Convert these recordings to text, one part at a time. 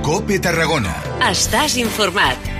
COPE Tarragona. Estàs informat.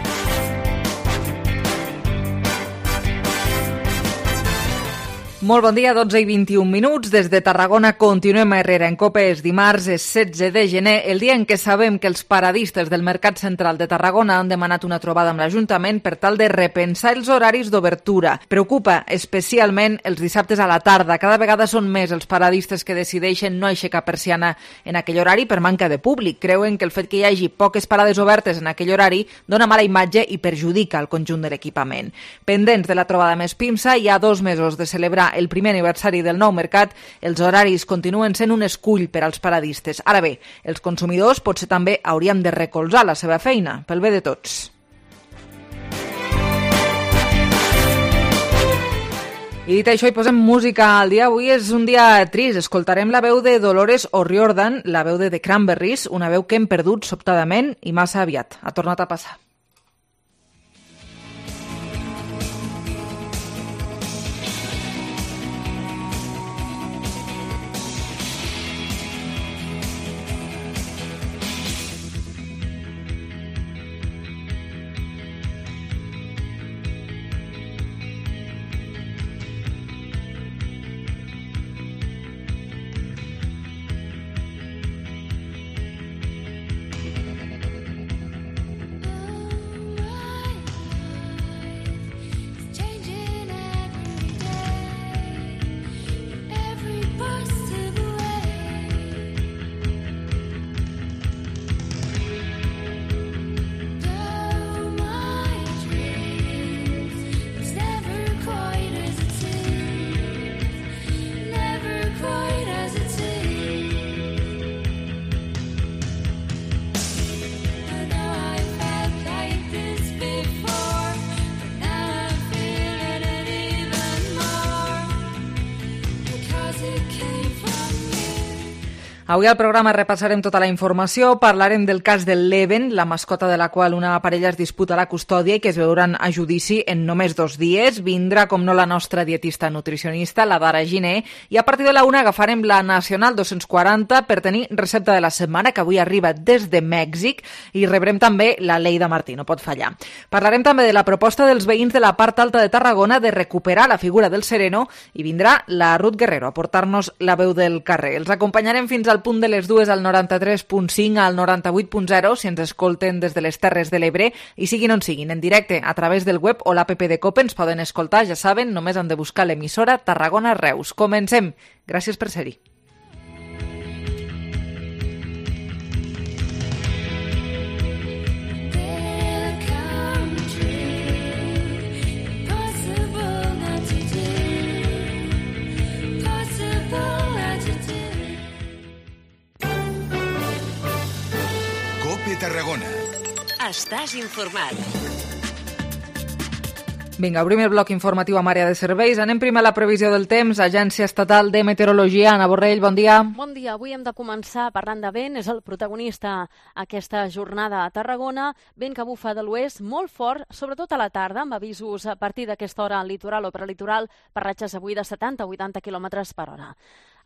Molt bon dia, 12 i 21 minuts. Des de Tarragona continuem a Herrera en COPE. És dimarts, és 16 de gener, el dia en què sabem que els paradistes del Mercat Central de Tarragona han demanat una trobada amb l'Ajuntament per tal de repensar els horaris d'obertura. Preocupa especialment els dissabtes a la tarda. Cada vegada són més els paradistes que decideixen no aixecar persiana en aquell horari per manca de públic. Creuen que el fet que hi hagi poques parades obertes en aquell horari dona mala imatge i perjudica el conjunt de l'equipament. Pendents de la trobada més PIMSA, hi ha 2 mesos de celebrar el primer aniversari del nou mercat, els horaris continuen sent un escull per als paradistes. Ara bé, els consumidors potser també hauríem de recolzar la seva feina, pel bé de tots. I dit això, hi posem música al dia. Avui és un dia trist. Escoltarem la veu de Dolores O'Riordan, la veu de The Cranberries, una veu que hem perdut sobtadament i massa aviat. Ha tornat a passar. Avui al programa repassarem tota la informació, parlarem del cas del Leven, la mascota de la qual una parella es disputa la custòdia i que es veuran a judici en només 2 dies. Vindrà, com no, la nostra dietista nutricionista, la Dara Giner, i a partir de la 1 agafarem la Nacional 240 per tenir recepta de la setmana, que avui arriba des de Mèxic, i rebrem també la Leida Martí, no pot fallar. Parlarem també de la proposta dels veïns de la part alta de Tarragona de recuperar la figura del sereno i vindrà la Ruth Guerrero a portar-nos la veu del carrer. Els acompanyarem fins al punt de les 2 al 93.5 al 98.0 si ens escolten des de les Terres de l'Ebre i siguin on siguin, en directe a través del web o l'app de COPE ens poden escoltar, ja saben, només han de buscar l'emissora Tarragona Reus. Comencem. Gràcies per ser-hi. Tarragona. Estàs informat. Vinga, obrim el bloc informatiu amb àrea de serveis. Anem primer a la previsió del temps. Agència Estatal de Meteorologia. Ana Borrell, bon dia. Bon dia. Avui hem de començar parlant de vent. És el protagonista aquesta jornada a Tarragona. Vent que bufa de l'oest molt fort, sobretot a la tarda, amb avisos a partir d'aquesta hora al litoral o prelitoral per ratxes avui de 70-80 km per hora.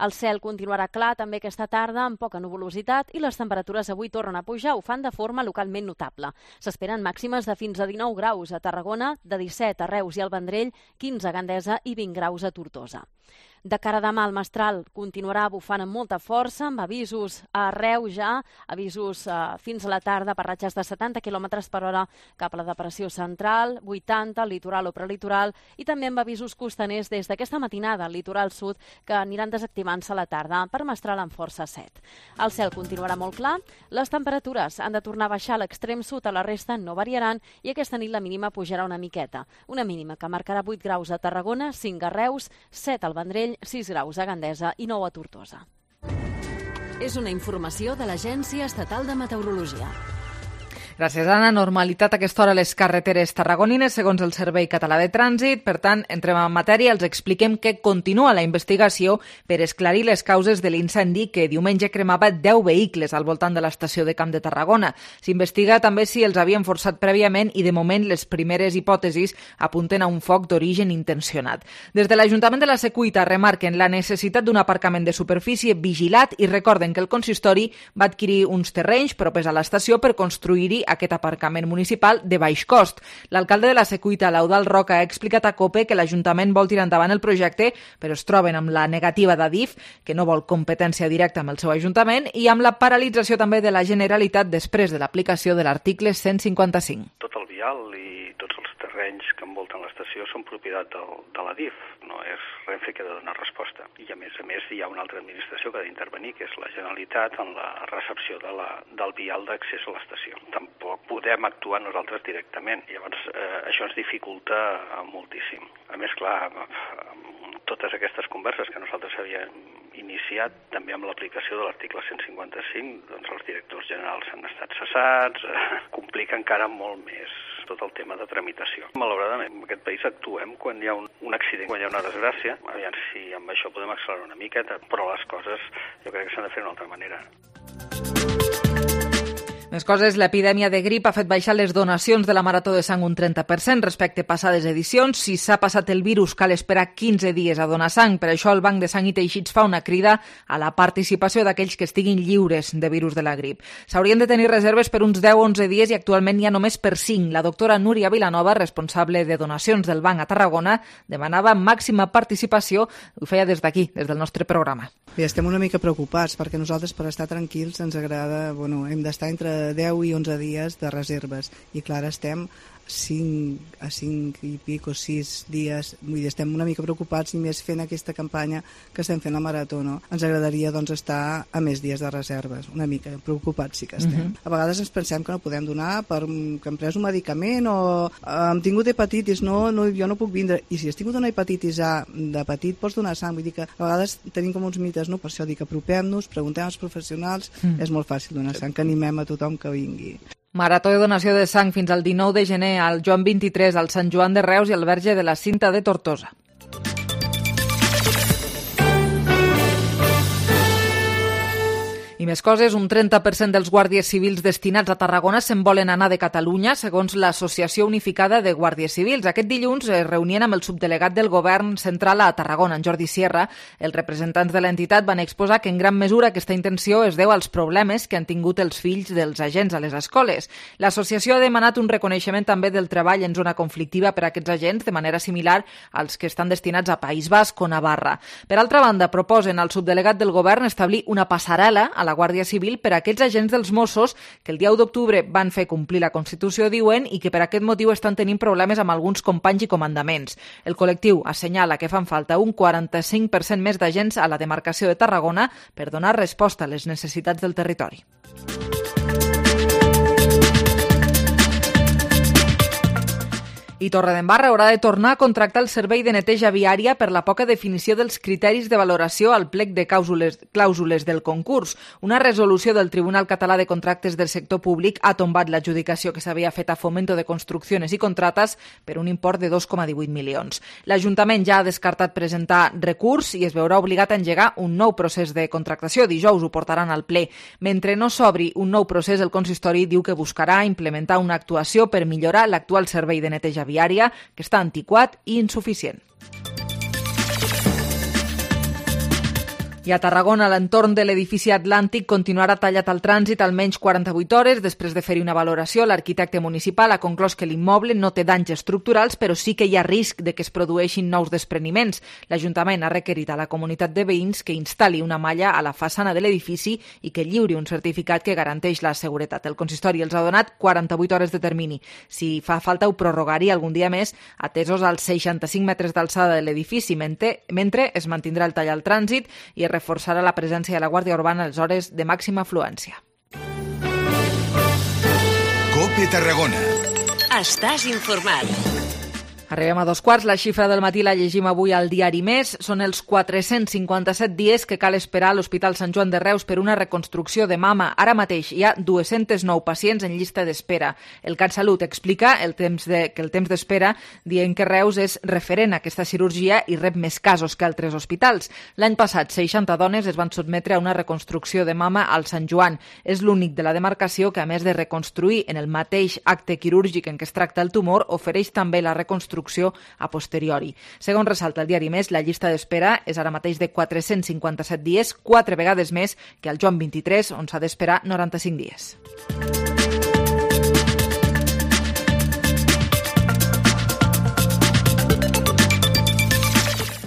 El cel continuarà clar també aquesta tarda amb poca nuvolositat i les temperatures avui tornen a pujar, ho fan de forma localment notable. S'esperen màximes de fins a 19 graus a Tarragona, de 17 a Reus i al Vendrell, 15 a Gandesa i 20 graus a Tortosa. De cara a demà, el mestral continuarà bufant amb molta força, amb avisos a Reus ja, avisos fins a la tarda per ratxes de 70 km per hora cap a la depressió central, 80 al litoral o prelitoral, i també amb avisos costaners des d'aquesta matinada al litoral sud que aniran desactivant-se a la tarda per mestral amb força 7. El cel continuarà molt clar, les temperatures han de tornar a baixar a l'extrem sud, a la resta no variaran i aquesta nit la mínima pujarà una miqueta. Una mínima que marcarà 8 graus a Tarragona, 5 a Reus, 7 al Vendrell, 6 graus a Gandesa i 9 a Tortosa. És una informació de l'Agència Estatal de Meteorologia. Gràcies, Anna. Normalitat a aquesta hora a les carreteres tarragonines, segons el Servei Català de Trànsit. Per tant, entrem en matèria, els expliquem que continua la investigació per esclarir les causes de l'incendi que diumenge cremava 10 vehicles al voltant de l'estació de Camp de Tarragona. S'investiga també si els havien forçat prèviament i, de moment, les primeres hipòtesis apunten a un foc d'origen intencionat. Des de l'Ajuntament de la Secuita remarquen la necessitat d'un aparcament de superfície vigilat i recorden que el consistori va adquirir uns terrenys propers a l'estació per construir-hi aquest aparcament municipal de baix cost. L'alcalde de la Secuita, l'Eudald Roca, ha explicat a COPE que l'Ajuntament vol tirar endavant el projecte, però es troben amb la negativa d'Adif, que no vol competència directa amb el seu Ajuntament, i amb la paralització també de la Generalitat després de l'aplicació de l'article 155. Tot el vial i tots els terrenys que envolten l'estació són propietat de l'Adif, no és Renfe que ha de donar resposta. I a més hi ha una altra administració que ha d'intervenir, que és la Generalitat, en la recepció del vial d'accés a l'estació. Tampoc podem actuar nosaltres directament, llavors això ens dificulta moltíssim. A més, clar, totes aquestes converses que nosaltres havíem iniciat, també amb l'aplicació de l'article 155, doncs els directors generals han estat cessats, complica encara molt més tot el tema de tramitació. Malauradament, en aquest país actuem quan hi ha un accident, quan hi ha una desgràcia. Aviam si amb això podem accelerar una miqueta, però les coses jo crec que s'han de fer d'una altra manera. Més coses, l'epidèmia de grip ha fet baixar les donacions de la Marató de Sang un 30% respecte a passades edicions. Si s'ha passat el virus, cal esperar 15 dies a donar sang. Per això el Banc de Sang i Teixits fa una crida a la participació d'aquells que estiguin lliures de virus de la grip. S'haurien de tenir reserves per uns 10-11 dies i actualment n'hi ha només per 5. La doctora Núria Vilanova, responsable de donacions del Banc a Tarragona, demanava màxima participació. Ho feia des d'aquí, des del nostre programa. Bé, estem una mica preocupats perquè nosaltres, per estar tranquils, ens agrada, hem d'estar entre 10 i 11 dies de reserves i clar, estem 5 i pic o 6 dies, vull dir, estem una mica preocupats i més fent aquesta campanya que estem fent la Marató, no? Ens agradaria doncs estar a més dies de reserves, una mica preocupats sí que estem. A vegades ens pensem que no podem donar perquè hem pres un medicament o hem tingut hepatitis, jo no puc vindre, i si has tingut una hepatitis A de petit pots donar sang, vull dir que a vegades tenim com uns mites, no? Per això dic, apropem-nos, preguntem als professionals, és molt fàcil donar sang, que animem a tothom que vingui. Marató de donació de sang fins al 19 de gener al Joan 23, al Sant Joan de Reus i al Verge de la Cinta de Tortosa. I més coses, un 30% dels guàrdies civils destinats a Tarragona se'n volen anar de Catalunya, segons l'Associació Unificada de Guàrdies Civils. Aquest dilluns es reunien amb el subdelegat del Govern Central a Tarragona, en Jordi Sierra. Els representants de l'entitat van exposar que en gran mesura aquesta intenció es deu als problemes que han tingut els fills dels agents a les escoles. L'associació ha demanat un reconeixement també del treball en zona conflictiva per a aquests agents, de manera similar als que estan destinats a País Basc o Navarra. Per altra banda, proposen al subdelegat del Govern establir una passarel·la a la Guàrdia Civil per a aquells agents dels Mossos que el dia 1 d'octubre van fer complir la Constitució, diuen, i que per aquest motiu estan tenint problemes amb alguns companys i comandaments. El col·lectiu assenyala que fan falta un 45% més d'agents a la demarcació de Tarragona per donar resposta a les necessitats del territori. I Torredembarra haurà de tornar a contractar el servei de neteja viària per la poca definició dels criteris de valoració al plec de clàusules del concurs. Una resolució del Tribunal Català de Contractes del Sector Públic ha tombat l'adjudicació que s'havia fet a Fomento de Construcciones i Contratas per un import de 2,18 milions. L'Ajuntament ja ha descartat presentar recurs i es veurà obligat a engegar un nou procés de contractació. Dijous ho portaran al ple. Mentre no s'obri un nou procés, el consistori diu que buscarà implementar una actuació per millorar l'actual servei de neteja viària, que està antiquat i insuficient. I a Tarragona, l'entorn de l'edifici Atlàntic continuarà tallat al trànsit almenys 48 hores. Després de fer-hi una valoració, l'arquitecte municipal ha conclòs que l'immoble no té danys estructurals, però sí que hi ha risc de que es produeixin nous despreniments. L'Ajuntament ha requerit a la comunitat de veïns que instal·li una malla a la façana de l'edifici i que lliuri un certificat que garanteix la seguretat. El consistori els ha donat 48 hores de termini. Si fa falta, ho prorrogaria algun dia més, atesos als 65 metres d'alçada de l'edifici, mentre es mantindrà el tall al trànsit i es reforçarà la presència de la Guàrdia Urbana a les hores de màxima afluència. COPE Tarragona. Estàs informat. Arribem a 2:15. La xifra del matí la llegim avui al diari Més. Són els 457 dies que cal esperar a l'Hospital Sant Joan de Reus per una reconstrucció de mama. Ara mateix hi ha 209 pacients en llista d'espera. El CatSalut explica que el temps d'espera, dient que Reus és referent a aquesta cirurgia i rep més casos que altres hospitals. L'any passat, 60 dones es van sotmetre a una reconstrucció de mama al Sant Joan. És l'únic de la demarcació que, a més de reconstruir en el mateix acte quirúrgic en què es tracta el tumor, ofereix també la reconstrucció a posteriori. Segons ressalta el diari Més, la llista d'espera és ara mateix de 457 dies, 4 vegades més que el Joan 23, on s'ha d'esperar 95 dies.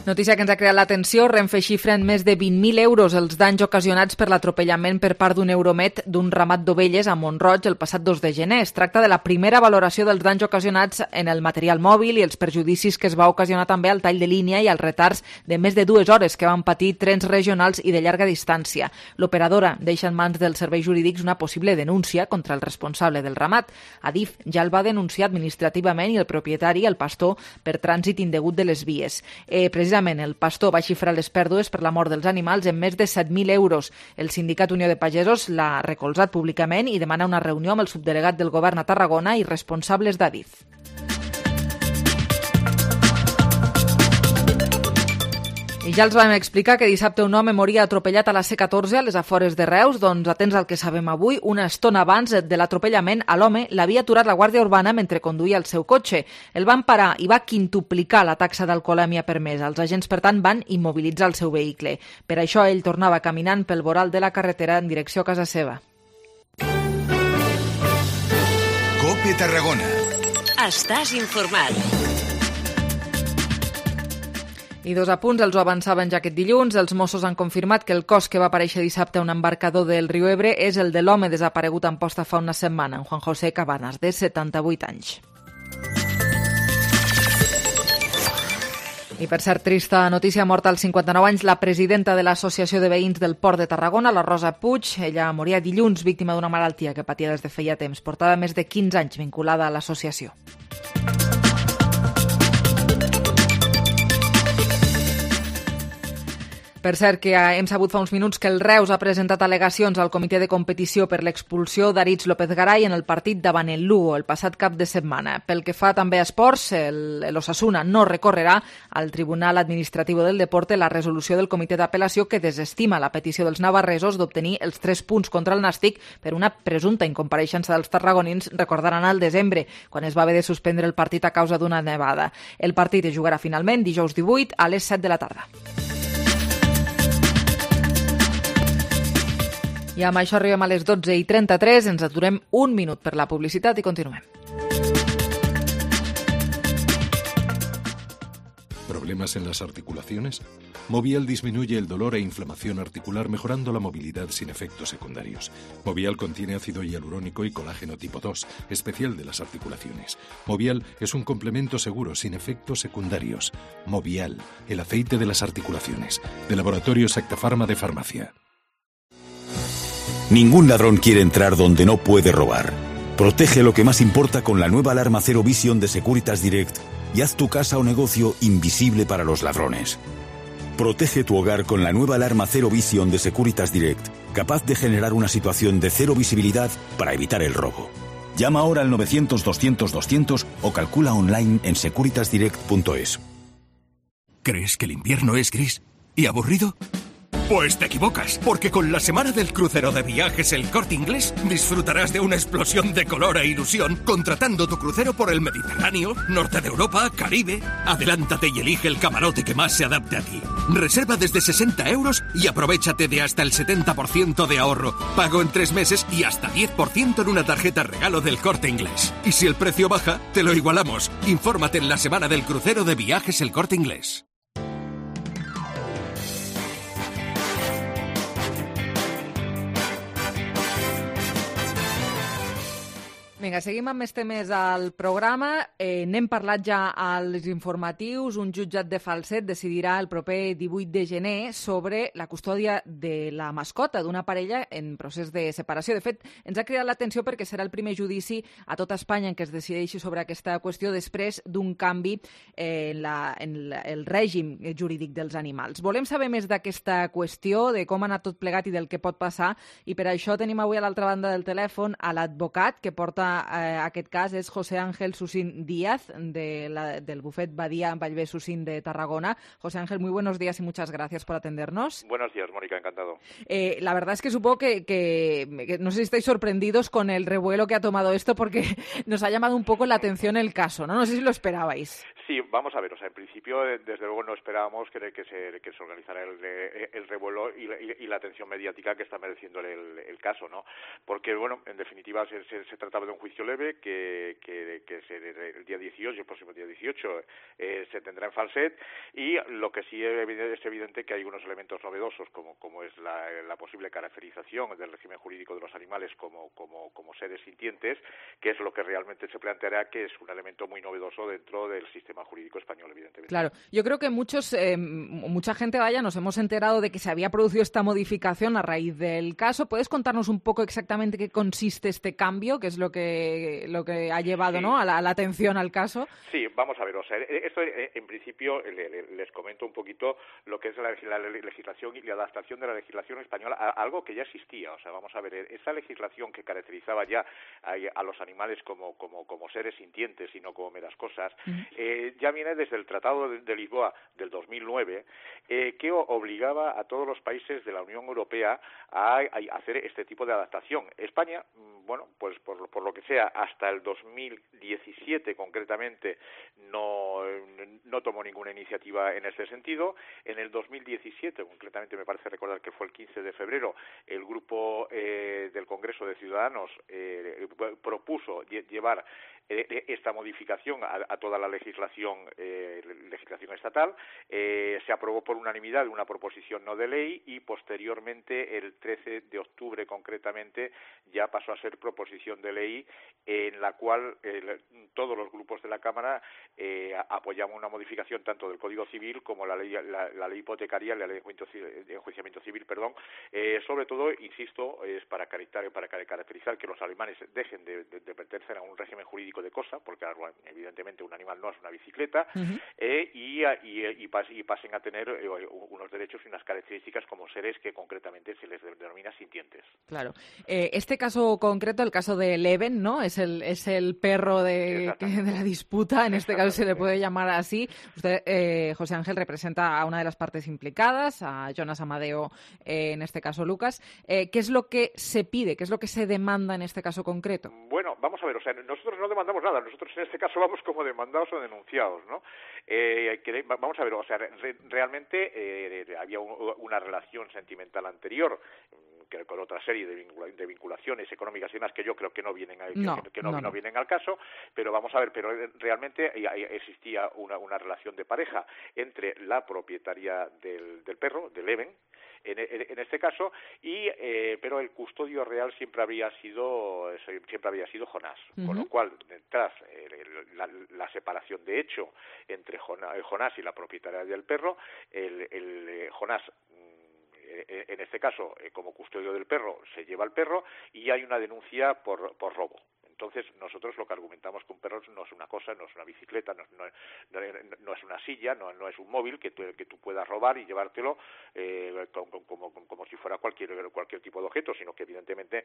Notícia que ens ha creat l'atenció. Renfe xifra en més de 20.000 euros els danys ocasionats per l'atropellament per part d'un Euromet d'un ramat d'ovelles a Mont-roig el passat 2 de gener. Es tracta de la primera valoració dels danys ocasionats en el material mòbil i els perjudicis que es va ocasionar també al tall de línia i als retards de més de 2 hores que van patir trens regionals i de llarga distància. L'operadora deixa en mans dels serveis jurídics una possible denúncia contra el responsable del ramat. Adif ja el va denunciar administrativament i el propietari, el pastor, per trànsit indegut de les vies. Precisament el pastor va xifrar les pèrdues per la mort dels animals en més de 7.000 euros. El sindicat Unió de Pagesos l'ha recolzat públicament i demana una reunió amb el subdelegat del govern a Tarragona i responsables d'Adif. I ja els vam explicar que dissabte un home moria atropellat a la C14 a les afores de Reus. Doncs, atents al que sabem avui, una estona abans de l'atropellament a l'home l'havia aturat la Guàrdia Urbana mentre conduïa el seu cotxe. El van parar i va quintuplicar la taxa d'alcoholèmia permesa. Els agents, per tant, van immobilitzar el seu vehicle. Per això ell tornava caminant pel voral de la carretera en direcció a casa seva. COPE Tarragona. Estàs informat. I 2 apunts, els ho avançaven ja aquest dilluns. Els Mossos han confirmat que el cos que va aparèixer dissabte a un embarcador del riu Ebre és el de l'home desaparegut en posta fa una setmana, en Juan José Cabanas, de 78 anys. I per cert, trista notícia, morta als 59 anys la presidenta de l'Associació de Veïns del Port de Tarragona, la Rosa Puig. Ella moria dilluns víctima d'una malaltia que patia des de feia temps. Portava més de 15 anys vinculada a l'associació. Per cert, que hem sabut fa uns minuts que el Reus ha presentat al·legacions al comitè de competició per l'expulsió d'Aritz López Garay en el partit davant el Lugo el passat cap de setmana. Pel que fa també a esports, l'Osasuna no recorrerà al Tribunal Administratiu del Deporte la resolució del comitè d'apel·lació que desestima la petició dels navarresos d'obtenir els 3 punts contra el Nàstic per una presumpta incompareixença dels tarragonins, recordaran al desembre, quan es va haver de suspendre el partit a causa d'una nevada. El partit es jugarà finalment dijous 18 a les 7 de la tarda. I amb això arribem a les 12:33, ens aturem un minut per la publicitat i continuem. ¿Problemas en las articulaciones? Movial disminuye el dolor e inflamación articular mejorando la movilidad sin efectos secundarios. Movial contiene ácido hialurónico y colágeno tipo 2, especial de las articulaciones. Movial es un complemento seguro sin efectos secundarios. Movial, el aceite de las articulaciones. De Laboratorio Secta Pharma de Farmacia. Ningún ladrón quiere entrar donde no puede robar. Protege lo que más importa con la nueva alarma Zero Vision de Securitas Direct y haz tu casa o negocio invisible para los ladrones. Protege tu hogar con la nueva alarma Zero Vision de Securitas Direct, capaz de generar una situación de cero visibilidad para evitar el robo. Llama ahora al 900-200-200 o calcula online en securitasdirect.es. ¿Crees que el invierno es gris y aburrido? Pues te equivocas, porque con la semana del crucero de Viajes El Corte Inglés disfrutarás de una explosión de color e ilusión contratando tu crucero por el Mediterráneo, Norte de Europa, Caribe. Adelántate y elige el camarote que más se adapte a ti. Reserva desde 60 € y aprovechate de hasta el 70% de ahorro, pago en 3 meses y hasta 10% en una tarjeta regalo del Corte Inglés. Y si el precio baja, te lo igualamos. Infórmate en la semana del crucero de Viajes El Corte Inglés. Vinga, seguim amb més temes al programa. N'hem parlat ja als informatius. Un jutjat de Falset decidirà el proper 18 de gener sobre la custòdia de la mascota d'una parella en procés de separació. De fet, ens ha cridat l'atenció perquè serà el primer judici a tot Espanya en què es decideixi sobre aquesta qüestió després d'un canvi en el règim jurídic dels animals. Volem saber més d'aquesta qüestió, de com ha anat tot plegat i del que pot passar, i per això tenim avui a l'altra banda del telèfon a l'advocat que porta aquest cas, és José Ángel Susín Díaz, del bufet Badia Vallvé Susín de Tarragona. José Ángel, muy buenos días y muchas gracias por atendernos. Buenos días, Mónica, encantado. La verdad es que supongo que no sé si estáis sorprendidos con el revuelo que ha tomado esto, porque nos ha llamado un poco la atención el caso, ¿no? No sé si lo esperabais. Sí, vamos a ver, o sea, en principio, desde luego no esperábamos que se organizara el revuelo y la atención mediática que está mereciendo el caso, ¿no? Porque, bueno, en definitiva se trataba de un juicio leve que el día 18, el próximo día 18, se tendrá en Falset, y lo que sí es evidente que hay unos elementos novedosos, como es la posible caracterización del régimen jurídico de los animales como seres sintientes, que es lo que realmente se planteará que es un elemento muy novedoso dentro del sistema jurídico español, evidentemente. Claro, yo creo que mucha gente, nos hemos enterado de que se había producido esta modificación a raíz del caso. ¿Puedes contarnos un poco exactamente qué consiste este cambio, qué es lo que ha llevado, sí, ¿no?, a la atención al caso? Sí, vamos a ver, o sea, esto en principio les comento un poquito lo que es la legislación y la adaptación de la legislación española a algo que ya existía. O sea, vamos a ver, esa legislación que caracterizaba ya a los animales como seres sintientes y no como meras cosas, ya viene desde el Tratado de Lisboa del 2009, que obligaba a todos los países de la Unión Europea a hacer este tipo de adaptación. España, bueno, pues por lo que sea, hasta el 2017 concretamente no tomó ninguna iniciativa en este sentido. En el 2017, concretamente me parece recordar que fue el 15 de febrero, el grupo del Congreso de Ciudadanos propuso llevar esta modificación a toda la legislación estatal. Se aprobó por unanimidad una proposición no de ley y posteriormente el 13 de octubre concretamente ya pasó a ser proposición de ley, en la cual todos los grupos de la Cámara apoyamos una modificación tanto del Código Civil como la ley hipotecaria, la ley de enjuiciamiento civil, sobre todo, insisto, es para caracterizar que los alemanes dejen de pertenecer a un régimen jurídico de cosa, porque evidentemente un animal no es una bicicleta, y pasen a tener unos derechos y unas características como seres que concretamente se les denomina sintientes. Claro. Este caso concreto, el caso de Leven, ¿no? Es el perro de la disputa, en este caso se le puede llamar así. Usted, José Ángel, representa a una de las partes implicadas, a Jonas Amadeo, en este caso Lucas. ¿Qué es lo que se pide? ¿Qué es lo que se demanda en este caso concreto? Bueno, vamos a ver, o sea, nosotros no demandamos nada, nosotros en este caso vamos como demandados o denunciados, ¿no? Vamos a ver, o sea, realmente había una relación sentimental anterior, que con otra serie de vinculaciones económicas y demás que yo creo que no vienen no vienen al caso, pero vamos a ver, pero realmente existía una relación de pareja entre la propietaria del perro, de Leven, en este caso, pero el custodio real siempre había sido Jonás, con lo cual tras la separación de hecho entre Jonás y la propietaria del perro, Jonás, en este caso, como custodio del perro, se lleva el perro y hay una denuncia por robo. Entonces, nosotros lo que argumentamos que un perro no es una cosa, no es una bicicleta, no es una silla, no es un móvil que tú puedas robar y llevártelo como si fuera cualquier tipo de objeto, sino que evidentemente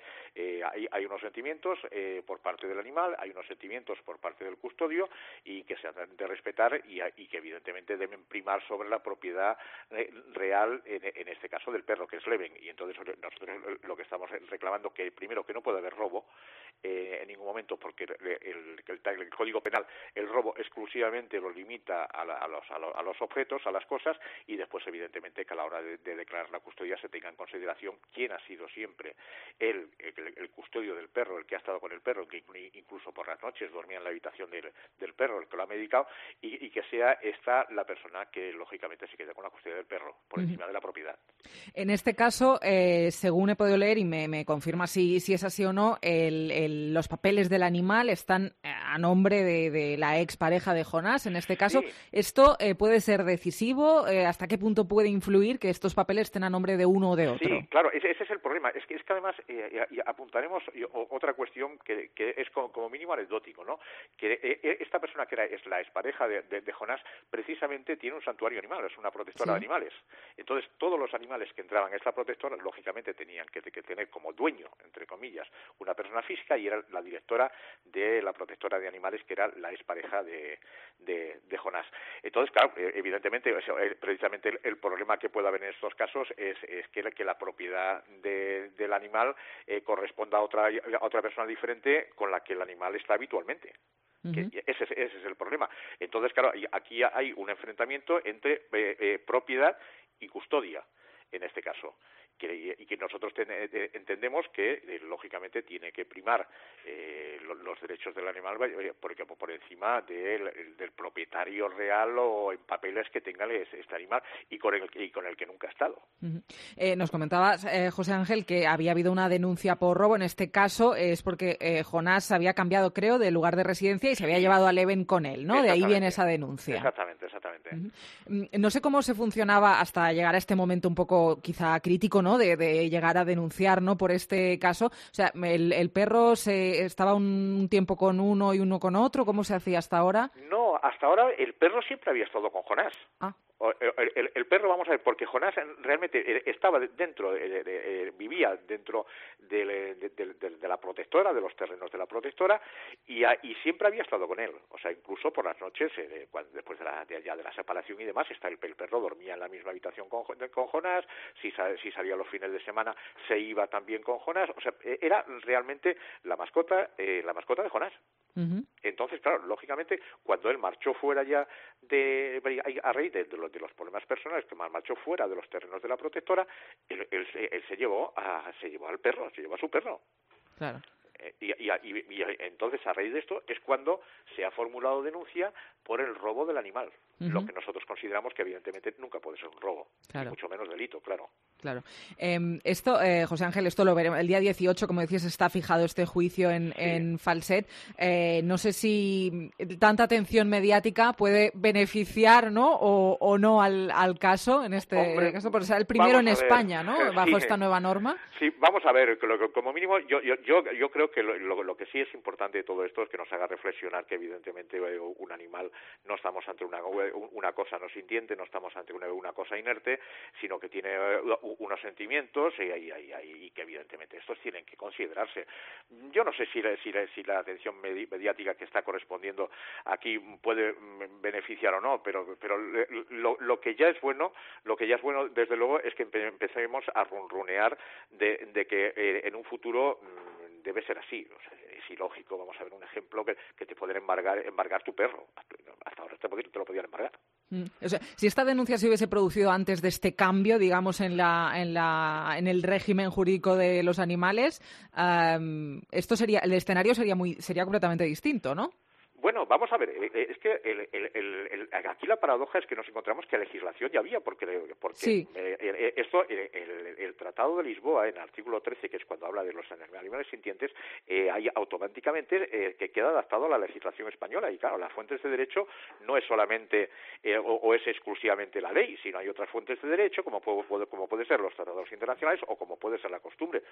hay unos sentimientos por parte del animal, hay unos sentimientos por parte del custodio y que se han de respetar y que evidentemente deben primar sobre la propiedad real, en este caso del perro, que es Leven. Y entonces nosotros lo que estamos reclamando que primero que no puede haber robo en ningún momento, porque el Código Penal el robo exclusivamente lo limita a los objetos, a las cosas, y después evidentemente que a la hora de declarar la custodia se tenga en consideración quién ha sido siempre el custodio del perro, el que ha estado con el perro, que incluso por las noches dormía en la habitación del perro, el que lo ha medicado, y que sea esta la persona que lógicamente se quede con la custodia del perro por encima de la propiedad. En este caso, según he podido leer, y me confirma si es así o no, los papeles papeles del animal están a nombre de la expareja de Jonás, en este caso. Sí. ¿Esto puede ser decisivo? ¿Hasta qué punto puede influir que estos papeles estén a nombre de uno o de otro? Sí, claro, ese es el problema. Es que además apuntaremos otra cuestión que es como mínimo anecdótico, ¿no? Que esta persona que es la expareja de Jonás precisamente tiene un santuario animal, es una protectora de animales. Entonces, todos los animales que entraban a esta protectora, lógicamente tenían que tener como dueño, entre comillas, una persona física, y era la directora de la protectora de animales, que era la expareja de Jonás. Entonces, claro, evidentemente, precisamente el problema que puede haber en estos casos es que la propiedad del animal corresponda a otra persona diferente con la que el animal está habitualmente. Que ese es el problema. Entonces, claro, aquí hay un enfrentamiento entre propiedad y custodia, en este caso, y que nosotros entendemos que lógicamente tiene que primar los derechos del animal por encima del propietario real o en papeles que tenga este animal y con el que nunca ha estado. Nos comentabas, José Ángel, que había habido una denuncia por robo. En este caso es porque Jonás había cambiado, creo, de lugar de residencia y se había llevado a Leven con él, ¿no? De ahí viene esa denuncia. Exactamente. No sé cómo se funcionaba hasta llegar a este momento un poco quizá crítico, ¿no? De llegar a denunciar, ¿no? Por este caso. O sea, el perro estaba un tiempo con uno y uno con otro. ¿Cómo se hacía hasta ahora? No, hasta ahora el perro siempre había estado con Jonás. El perro, vamos a ver, porque Jonás realmente estaba dentro, vivía dentro de la protectora, de los terrenos de la protectora, y siempre había estado con él. O sea, incluso por las noches, después de la separación y demás, el perro dormía en la misma habitación con Jonás. Si salía los fines de semana, se iba también con Jonás. O sea, era realmente la mascota de Jonás. Entonces, claro, lógicamente, cuando él marchó fuera ya a raíz de los problemas personales, que marchó fuera de los terrenos de la protectora, él se llevó al perro, se llevó a su perro. Claro. Y entonces, a raíz de esto, es cuando se ha formulado denuncia por el robo del animal, lo que nosotros consideramos que evidentemente nunca puede ser un robo, y mucho menos delito, claro. Claro. Esto, José Ángel, esto lo veremos. El día 18, como decías, está fijado este juicio en Falset. No sé si tanta atención mediática puede beneficiar, ¿no? O no al caso, en este caso, por ser el primero en España, ¿no? Bajo esta nueva norma. Sí, vamos a ver, como mínimo, yo creo que lo que sí es importante de todo esto es que nos haga reflexionar que evidentemente un animal no estamos ante una cosa no sintiente, no estamos ante una cosa inerte, sino que tiene unos sentimientos y que evidentemente estos tienen que considerarse. Yo no sé si la atención mediática que está correspondiendo aquí puede beneficiar o no, pero lo que ya es bueno desde luego es que empecemos a runrunear de que en un futuro debe ser así. O sea, es ilógico. Vamos a ver un ejemplo que te pueden embargar tu perro. Hasta ahora te lo podían embargar. O sea, si esta denuncia se hubiese producido antes de este cambio, digamos, en el régimen jurídico de los animales, el escenario sería completamente distinto, ¿no? Bueno, vamos a ver, es que aquí la paradoja es que nos encontramos que legislación ya había, porque sí. El Tratado de Lisboa, en el artículo 13, que es cuando habla de los animales sintientes, hay automáticamente que queda adaptado a la legislación española. Y claro, las fuentes de derecho no es solamente o es exclusivamente la ley, sino hay otras fuentes de derecho, como puede ser los tratados internacionales o como puede ser la costumbre.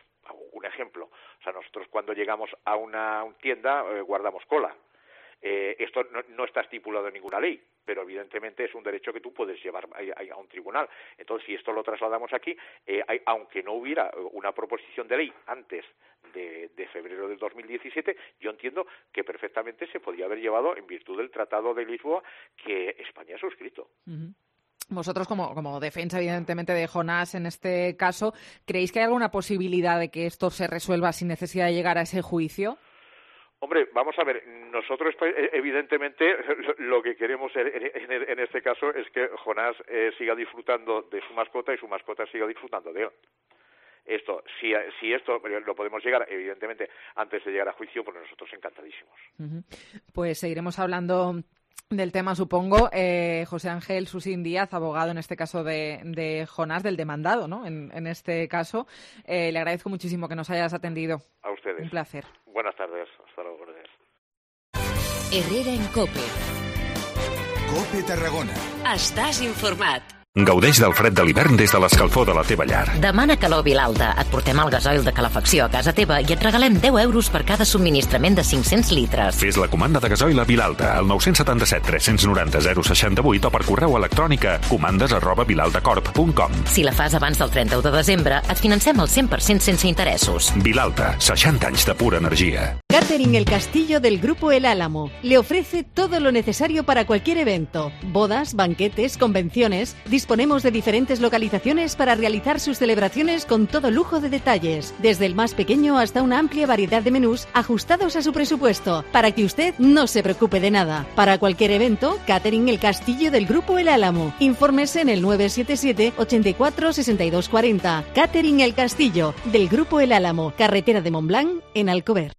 Un ejemplo, o sea, nosotros cuando llegamos a una tienda guardamos cola. Esto no está estipulado en ninguna ley, pero evidentemente es un derecho que tú puedes llevar a un tribunal. Entonces, si esto lo trasladamos aquí, aunque no hubiera una proposición de ley antes de febrero del 2017, yo entiendo que perfectamente se podía haber llevado en virtud del Tratado de Lisboa que España ha suscrito. Vosotros, como defensa, evidentemente, de Jonás en este caso, ¿creéis que hay alguna posibilidad de que esto se resuelva sin necesidad de llegar a ese juicio? Hombre, vamos a ver, nosotros evidentemente lo que queremos en este caso es que Jonás siga disfrutando de su mascota y su mascota siga disfrutando de él. Si esto lo podemos llegar, evidentemente, antes de llegar a juicio, pues nosotros encantadísimos. Pues seguiremos hablando del tema, supongo. José Ángel Susín Díaz, abogado en este caso de Jonás, del demandado, ¿no? En este caso. Le agradezco muchísimo que nos hayas atendido. A ustedes. Un placer. Buenas tardes. Hasta luego. ordres. Herrera en COPE. COPE Tarragona. Estàs informat. Gaudeix del fred de l'hivern des de l'escalfor de la teva llar. Demana calor Vilalta. Et portem el gasoil de calefacció a casa teva i et regalem 10 euros per cada subministrament de 500 litres. Fes la comanda de gasoil a Vilalta al 977 390 068 o per correu electrònic a comandes@vilaltacorp.com. Si la fas abans del 31 de desembre, et financem el 100% sense interessos. Vilalta, 60 anys de pura energia. Catering El Castillo del Grupo El Álamo le ofrece todo lo necesario para cualquier evento. Bodas, banquetes, convenciones. Disponemos de diferentes localizaciones para realizar sus celebraciones con todo lujo de detalles, desde el más pequeño hasta una amplia variedad de menús ajustados a su presupuesto, para que usted no se preocupe de nada. Para cualquier evento, Catering El Castillo del Grupo El Álamo. Infórmese en el 977 84 62 40. Catering El Castillo del Grupo El Álamo, carretera de Montblanc, en Alcover.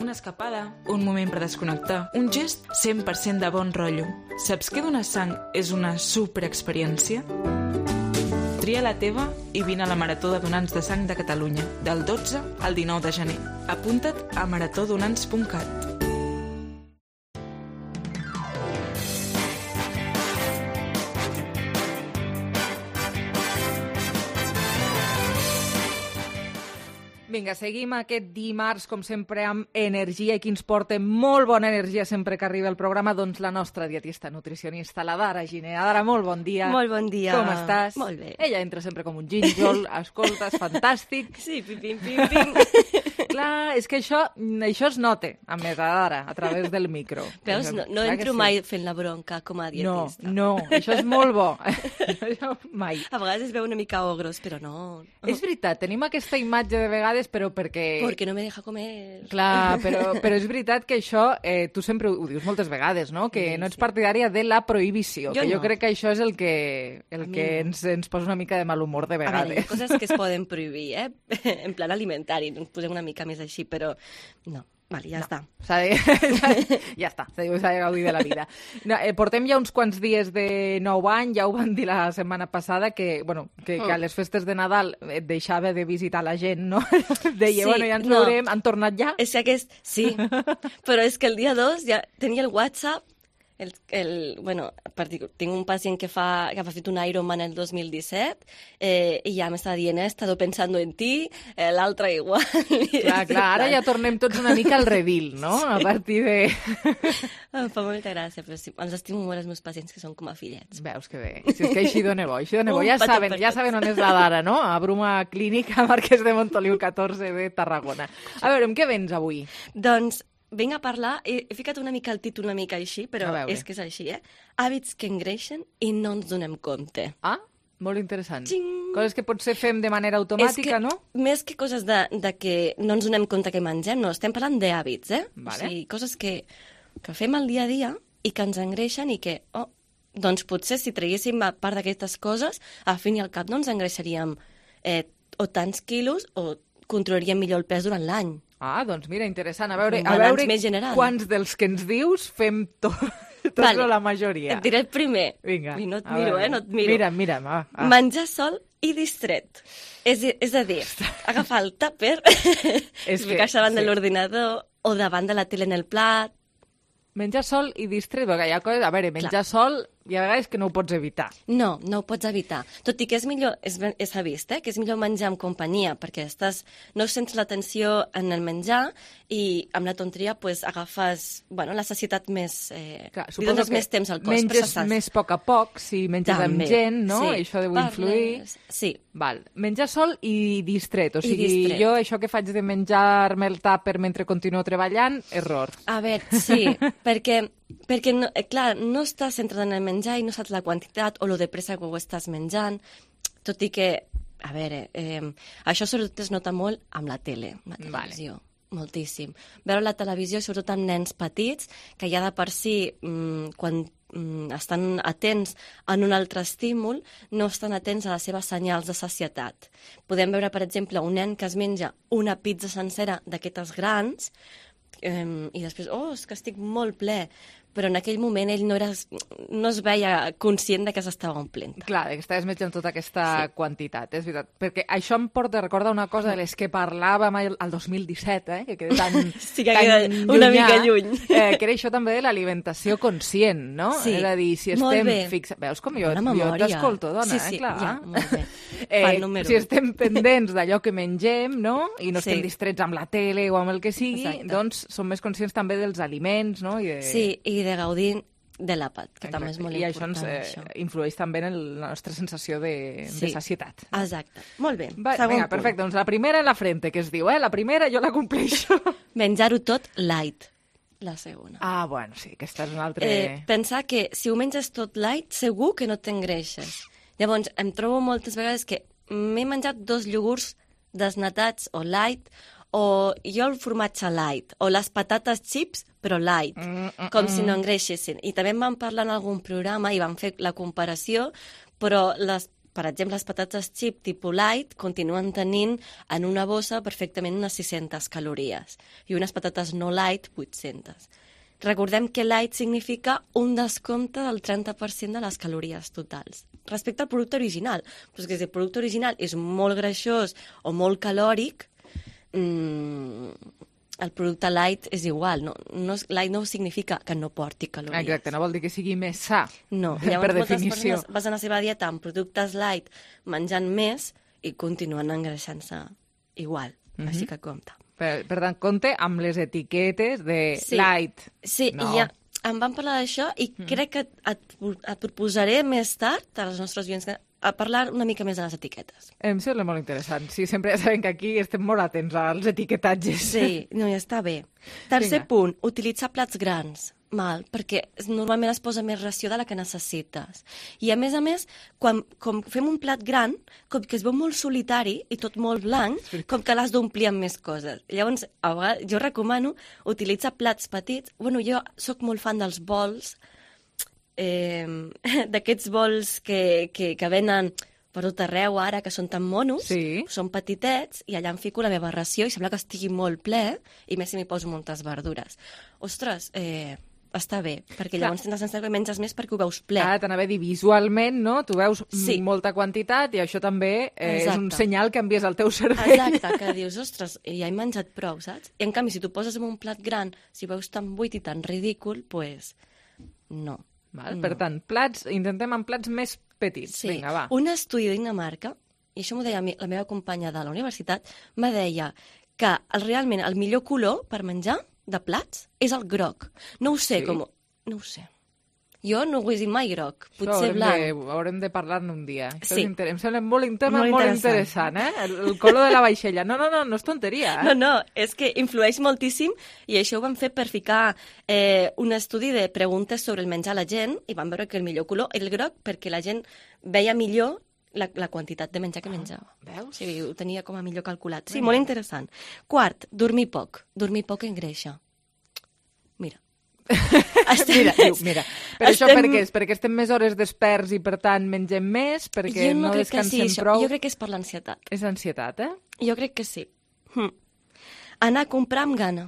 Una escapada, un moment per desconnectar, un gest 100% de bon rotllo. Saps que donar sang és una superexperiència? Tria la teva i vine a la Marató de Donants de Sang de Catalunya, del 12 al 19 de gener. Apunta't a maratodonants.cat. Vinga, seguim aquest dimarts, com sempre, amb energia i qui ens porta molt bona energia sempre que arriba el programa, doncs la nostra dietista nutricionista, la Dara Giner. Dara, molt bon dia. Molt bon dia. Com estàs? Molt bé. Ella entra sempre com un gínjol, escolta, és fantàstic. Sí, pim, pim, pim. Clar, és que això es nota, a més, Dara, a través del micro. Veus, no entro mai fent la bronca com a dietista. No, això és molt bo. Això mai. A vegades es veu una mica ogros, però no. És veritat, tenim aquesta imatge de vegades, però perquè... Perquè no me deja comer. Clar, però és veritat que això, tu sempre ho dius moltes vegades, no? Que no ets partidària de la prohibició, que jo crec que això és el que ens posa una mica de mal humor de vegades. A veure, hi ha coses que es poden prohibir, en plan alimentari, ens posem una mica més així, però no. Vale, ja està. Ja està, s'ha de gaudir de la vida. No, portem ja uns quants dies de nou any, ja ho van dir la setmana passada, que a les festes de Nadal et deixava de visitar la gent, no? Deia, sí, ja ens veurem, han tornat ja? Sí, però és que el dia 2 ja tenia el WhatsApp, tinc un pacient que ha fet un Ironman el 2017 i ja m'estava dient, he estado pensando en ti, l'altre igual. Clar, ara ja tornem tots una mica al redil, no? A partir de... Em fa molta gràcia, però sí, els estimo molt els meus pacients que són com a fillets. Veus que bé, si és que així dona bo. Ja saben on és la Dara, no? A Bruma Clínica, Marquès de Montoliu 14 de Tarragona. A veure, amb què vens avui? Doncs vinc a parlar, he ficat una mica el títol una mica així, però és que és així, hàbits que engreixen i no ens donem compte. Ah, molt interessant. Coses que potser fem de manera automàtica, no? Més que coses de que no ens donem compte que mengem, no, estem parlant d'hàbits, Vale. O sigui, coses que fem al dia a dia i que ens engreixen i que, doncs potser si traguéssim a part d'aquestes coses, al fin i al cap no ens engreixaríem o tants quilos o controlaríem millor el pes durant l'any. Ah, doncs mira, interessant. A veure quants dels que ens dius fem tots o la majoria. Et diré el primer. Vinga. I no et miro, no et miro. Mira'm. Menjar sol i distret. És a dir, agafar el tàper, ficar-se davant de l'ordinador o davant de la tele en el plat. Menjar sol i distret, perquè hi ha coses... A veure, menjar sol hi ha vegades que no ho pots evitar. No ho pots evitar. Tot i que és millor, s'ha vist, que és millor menjar amb companyia, perquè no sents l'atenció en el menjar i amb la tonteria agafes la sacietat més... li dones més temps al cos. Menges més a poc a poc, si menges amb gent, no? Sí. Això deu influir. Sí. Val. Menjar sol i distret. O sigui, jo això que faig de menjar-me el tàper mentre continuo treballant, error. A veure, sí, perquè no, clar, no estàs centrat en el menjar i no saps la quantitat o lo de pressa que ho estàs menjant, tot i que, a veure, això sobretot es nota molt amb la tele, amb la televisió. Vale. Moltíssim. Veure la televisió, sobretot amb nens petits, que ja de per si, quan estan atents en un altre estímul, no estan atents a les seves senyals de sacietat. Podem veure, per exemple, un nen que es menja una pizza sencera d'aquestes grans, i després, és que estic molt ple, però en aquell moment ell no es veia conscient de que s'estava omplint. Clar, que estaves menjant tota aquesta quantitat, és veritat. Perquè això em porta a recordar una cosa de les que parlàvem el 2017, que queda tan, sí, que queda una mica lluny. Que era això també de l'alimentació conscient, no? Sí, és a dir, si estem fixats... Veus com jo t'escolto, dona, clar. Ja, molt bé. Si estem pendents d'allò que mengem, no? I no estem distrets amb la tele o amb el que sigui, doncs som més conscients també dels aliments, no? Sí, i de gaudir de l'àpat, que també és molt important. I això ens influeix també en la nostra sensació de sacietat. Exacte. Molt bé. Vinga, perfecte. Doncs la primera en la frente, que es diu, la primera jo la compleixo. Menjar-ho tot light. La segona. Bueno, sí, aquesta és una altra... Pensar que si ho menges tot light, segur que no t'engreixes. Llavors, em trobo moltes vegades que m'he menjat 2 iogurts desnatats o light, o jo el formatge light, o les patates chips, però light, com si no engreixessin. I també em van parlar en algun programa i van fer la comparació, però per exemple, les patates chip tipus light continuen tenint en una bossa perfectament unes 600 calories i unes patates no light 800. Recordem que light significa un descompte del 30% de les calories totals respecte al producte original. Però és que si el producte original és molt greixós o molt calòric, el producte light és igual. Light no significa que no porti calories. Exacte, no vol dir que sigui més sa, no. Per definició. Moltes persones basen la seva dieta en productes light menjant més i continuen engreixant-se igual. Així que compte. Per tant, compte amb les etiquetes de light. Sí, i ja em van parlar d'això i crec que et proposaré més tard als nostres oients a parlar una mica més de les etiquetes. Em sembla molt interessant. Sí, sempre ja sabem que aquí estem molt atents als etiquetatges. Sí, no, ja està bé. Tercer punt, utilitzar plats grans. Perquè normalment es posa més ració de la que necessites. I a més, quan fem un plat gran, com que es veu molt solitari i tot molt blanc, com que l'has d'omplir amb més coses. Llavors, a vegades, jo recomano utilitzar plats petits. Jo sóc molt fan dels bols, d'aquests bols que venen per tot arreu ara, que són tan monos, són petitets, i allà em fico la meva ració i sembla que estigui molt ple, i més si m'hi poso moltes verdures. Ostres, està bé, perquè llavors tens la sensació que menges més perquè ho veus ple. T'anava a dir, visualment, no? Tu veus molta quantitat i això també és un senyal que envies al teu cervell. Exacte, que dius, ostres, ja he menjat prou, saps? I en canvi, si tu poses en un plat gran, si veus tan buit i tan ridícul, doncs no. Per tant, intentem amb plats més petits. Vinga, va. Un estudi de Dinamarca, i això m'ho deia la meva companya de la universitat, me deia que realment el millor color per menjar de plats és el groc. No ho sé, no ho sé. Jo no ho he dit mai groc, potser blanc. Haurem de parlar-ne un dia. Em sembla molt interessant, el color de la vaixella. No és tonteria. No, és que influeix moltíssim i això ho van fer per ficar un estudi de preguntes sobre el menjar a la gent i van veure que el millor color era el groc perquè la gent veia millor la quantitat de menjar que menjava. Veus? Sí, ho tenia com a millor calculat. Sí, molt interessant. Quart, dormir poc. Dormir poc engreixa. Mira. Mira. Per això per què és? Perquè estem més hores desperts i per tant mengem més? Perquè no descansem prou? Jo crec que és per l'ansietat. És ansietat, Jo crec que sí. Anar a comprar amb gana.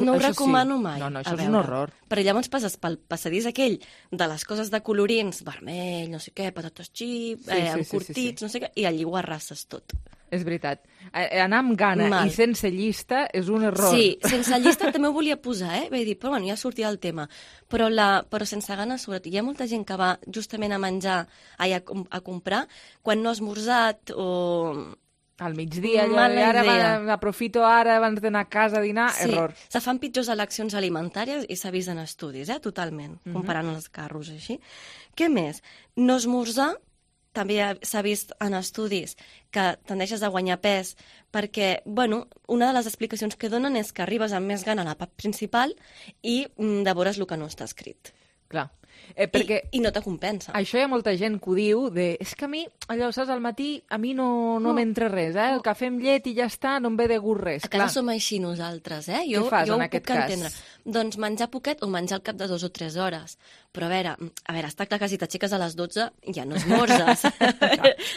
No ho recomano mai. No, això és un horror. Perquè llavors passes pel passadís aquell de les coses de colorins, vermell, no sé què, patates xip, encurtits, no sé què, i allí ho arrases tot. És veritat. Anar amb gana i sense llista és un error. Sí, sense llista també ho volia posar, Vaig dir, però ja sortirà el tema. Però sense gana, sobretot. Hi ha molta gent que va justament a menjar, a comprar, quan no ha esmorzat o... Al migdia, ara aprofito abans d'anar a casa a dinar, error. Se fan pitjors eleccions alimentàries i s'ha vist en estudis, totalment, comparant els carros així. Què més? No esmorzar, també s'ha vist en estudis que tendeixes a guanyar pes perquè, una de les explicacions que donen és que arribes amb més gana a l'àpat principal i devores el que no està escrit. Clar. I no te compensa. Això hi ha molta gent que ho diu és que a mi, allò, saps, al matí a mi no m'entra res, el cafè amb llet i ja està, no em ve de gust res. A casa som així nosaltres, Què fas en aquest cas? Entendre. Doncs menjar poquet o menjar al cap de 2 o 3 hores. Però a veure, està clar que si t'aixeques a les 12 ja no esmorzes.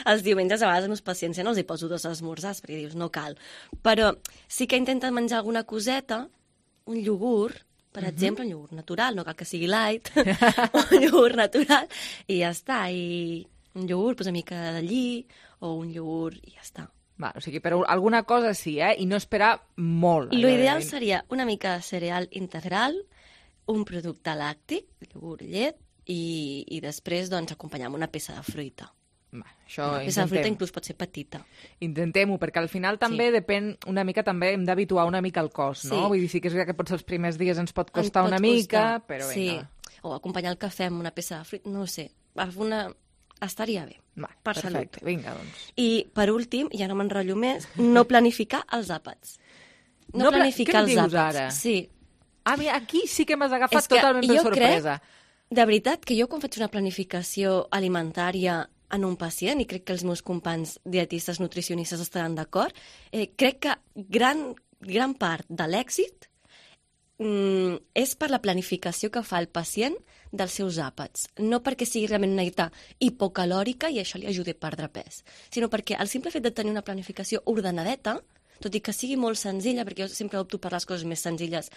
Els diumenges a vegades amb paciència no els hi poso 2 esmorzars perquè dius no cal. Però sí que intenten menjar alguna coseta un iogurt, per exemple, un iogurt natural, no cal que sigui light, un iogurt natural, i ja està. I un iogurt, una mica de lli, o un iogurt, i ja està. Va, o sigui, però alguna cosa sí, i no esperar molt. L'ideal seria una mica de cereal integral, un producte làctic, iogurt, llet, i després doncs, acompanyar amb una peça de fruita. La peça de fruita inclús pot ser petita. Intentem-ho, perquè al final també depèn una mica, també hem d'habituar una mica el cos, no? Vull dir, sí que és veritat que potser els primers dies ens pot costar una mica, però vinga. O acompanyar el cafè amb una peça de fruita, no ho sé, estaria bé, per salut. Vinga, doncs. I per últim, ja no m'enrotllo més, no planificar els àpats. No planificar els àpats. Què dius ara? Sí. Mira, aquí sí que m'has agafat totalment per sorpresa. De veritat que jo quan faig una planificació alimentària en un pacient, i crec que els meus companys dietistes, nutricionistes estaran d'acord, crec que gran part de l'èxit és per la planificació que fa el pacient dels seus àpats. No perquè sigui realment una dieta hipocalòrica i això li ajudi a perdre pes, sinó perquè el simple fet de tenir una planificació ordenadeta, tot i que sigui molt senzilla, perquè jo sempre opto per les coses més senzilles,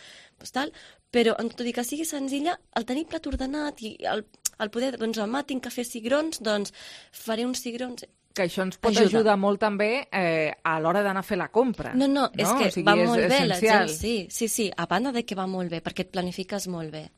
però tot i que sigui senzilla, el tenir plat ordenat i el poder, doncs demà tinc que fer cigrons, doncs faré uns cigrons. Que això ens pot ajudar molt també a l'hora d'anar a fer la compra. No, és que va molt bé la gent, sí, a banda de que va molt bé, perquè et planifiques molt bé.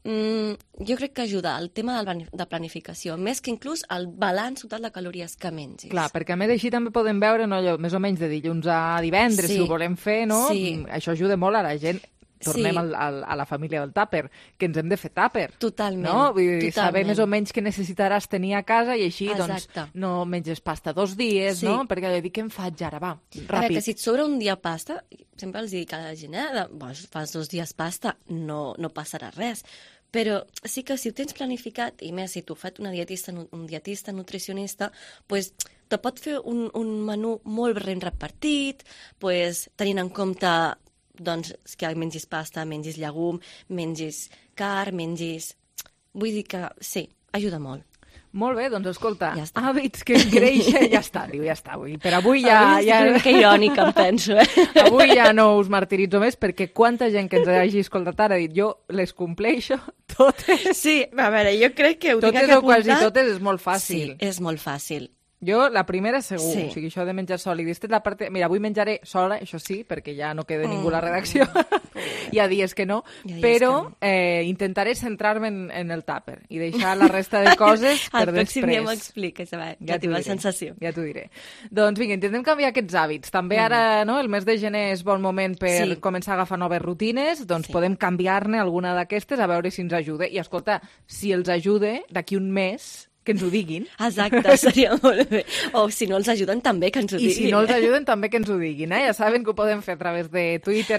Jo crec que ajuda el tema de planificació, més que inclús el balanç total de calories que mengis. Clar, perquè a més així també podem veure més o menys de dilluns a divendres, si ho volem fer, no? Això ajuda molt a la gent. Tornem a la família del tàper, que ens hem de fer tàper. Totalment. No? Vull dir, saber més o menys què necessitaràs tenir a casa i així doncs, no menges pasta 2 dies, no? Perquè dic, què em faig ara? Va, ràpid. A veure, que si et sobra un dia pasta, sempre els dic a la gent, fas 2 dies pasta, no passarà res. Però sí que si ho tens planificat, i més si t'ho fa un dietista, nutricionista, doncs te pot fer un menú molt ben repartit, tenint en compte doncs que mengis pasta, mengis llegum, mengis carn, mengis... Vull dir que sí, ajuda molt. Molt bé, doncs escolta, hàbits que creixen, ja està. Per avui que irònica em penso, Avui ja no us martiritzo més, perquè quanta gent que ens hagi escoltat ara ha dit jo les compleixo totes. Sí, a veure, jo crec que ho tinc que apuntar. Totes o quasi totes és molt fàcil. Sí, és molt fàcil. Jo, la primera segur, o sigui, això de menjar sol i la part... Mira, avui menjaré sola, això sí, perquè ja no queda ningú a la redacció, hi ha dies que no, però intentaré centrar-me en el tàper i deixar la resta de coses per després. El pròxim dia m'expliques, ja tinc la sensació. Ja t'ho diré. Doncs vinga, intentem canviar aquests hàbits. També ara, el mes de gener és bon moment per començar a agafar noves rutines, doncs podem canviar-ne alguna d'aquestes a veure si ens ajuda. I escolta, si els ajuda, d'aquí un mes... que ens ho diguin. Exacte, seria molt bé. O si no els ajuden també que ens ho diguin. I si no els ajuden també que ens ho diguin. Ja saben que ho podem fer a través de Twitter,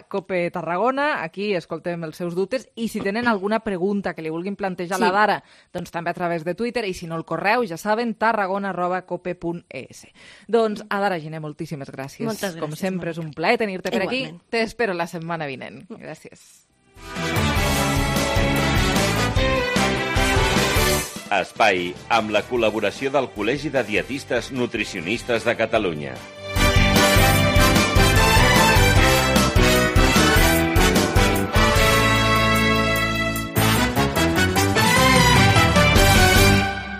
@CopeTarragona. Aquí escoltem els seus dubtes. I si tenen alguna pregunta que li vulguin plantejar a la Dara, doncs també a través de Twitter. I si no, el correu, ja saben, tarragona@cope.es. Doncs, Dara Giner, moltíssimes gràcies. Moltes gràcies. Com sempre, és un plaer tenir-te per aquí. T'espero la setmana vinent. Gràcies. Espai amb la col·laboració del Col·legi de Dietistes Nutricionistes de Catalunya.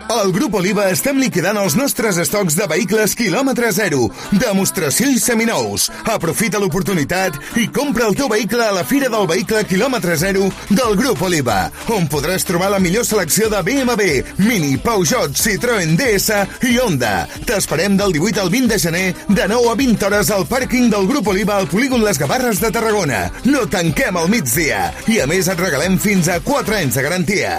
Al Grup Oliva estem liquidant els nostres estocs de vehicles quilòmetre zero, demostració i seminous. Aprofita l'oportunitat i compra el teu vehicle a la Fira del Vehicle quilòmetre zero del Grup Oliva, on podràs trobar la millor selecció de BMW, Mini, Peugeot, Citroën, DS i Honda. T'esperem del 18 al 20 de gener, de 9 a 20 hores al pàrquing del Grup Oliva al polígon Les Gavarres de Tarragona. No tanquem al migdia i a més et regalem fins a 4 anys de garantia.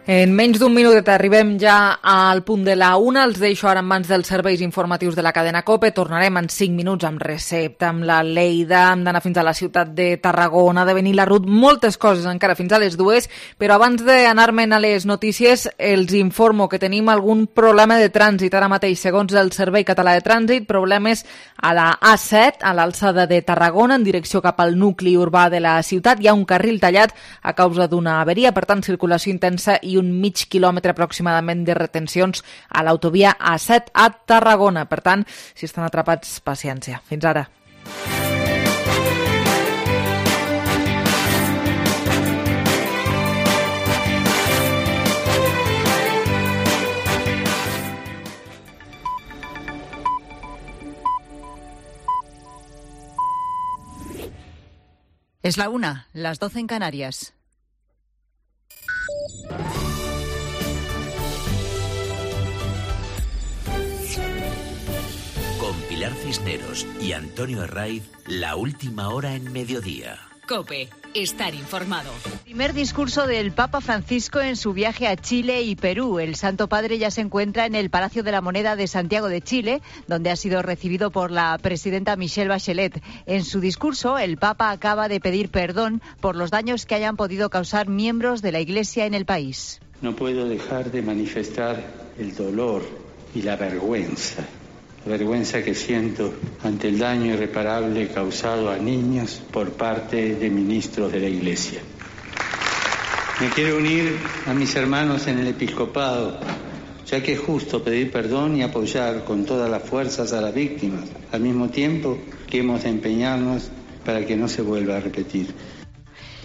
En menys d'un minutet arribem ja al punt de la 1. Els deixo ara en mans dels serveis informatius de la cadena COPE. Tornarem en 5 minuts amb recepta, amb la Lleida, hem d'anar fins a la ciutat de Tarragona, de venir la Ruth, moltes coses encara fins a les 2. Però abans d'anar-me'n a les notícies, els informo que tenim algun problema de trànsit ara mateix. Segons el Servei Català de Trànsit, problemes a la A7, a l'alçada de Tarragona, en direcció cap al nucli urbà de la ciutat. Hi ha un carril tallat a causa d'una averia, per tant, circulació intensa i un mig quilòmetre aproximadament de retencions a l'autovia A7 a Tarragona. Per tant, si estan atrapats, paciència. Fins ara. Es la 1, las 12 en Canarias. Con Pilar Cisneros y Antonio Herraiz, la última hora en mediodía. COPE. Estar informado. Primer discurso del Papa Francisco en su viaje a Chile y Perú. El Santo Padre ya se encuentra en el Palacio de la Moneda de Santiago de Chile, donde ha sido recibido por la presidenta Michelle Bachelet. En su discurso, el Papa acaba de pedir perdón por los daños que hayan podido causar miembros de la Iglesia en el país. No puedo dejar de manifestar el dolor y la vergüenza que siento ante el daño irreparable causado a niños por parte de ministros de la Iglesia. Me quiero unir a mis hermanos en el episcopado, ya que es justo pedir perdón y apoyar con todas las fuerzas a las víctimas, al mismo tiempo que hemos de empeñarnos para que no se vuelva a repetir.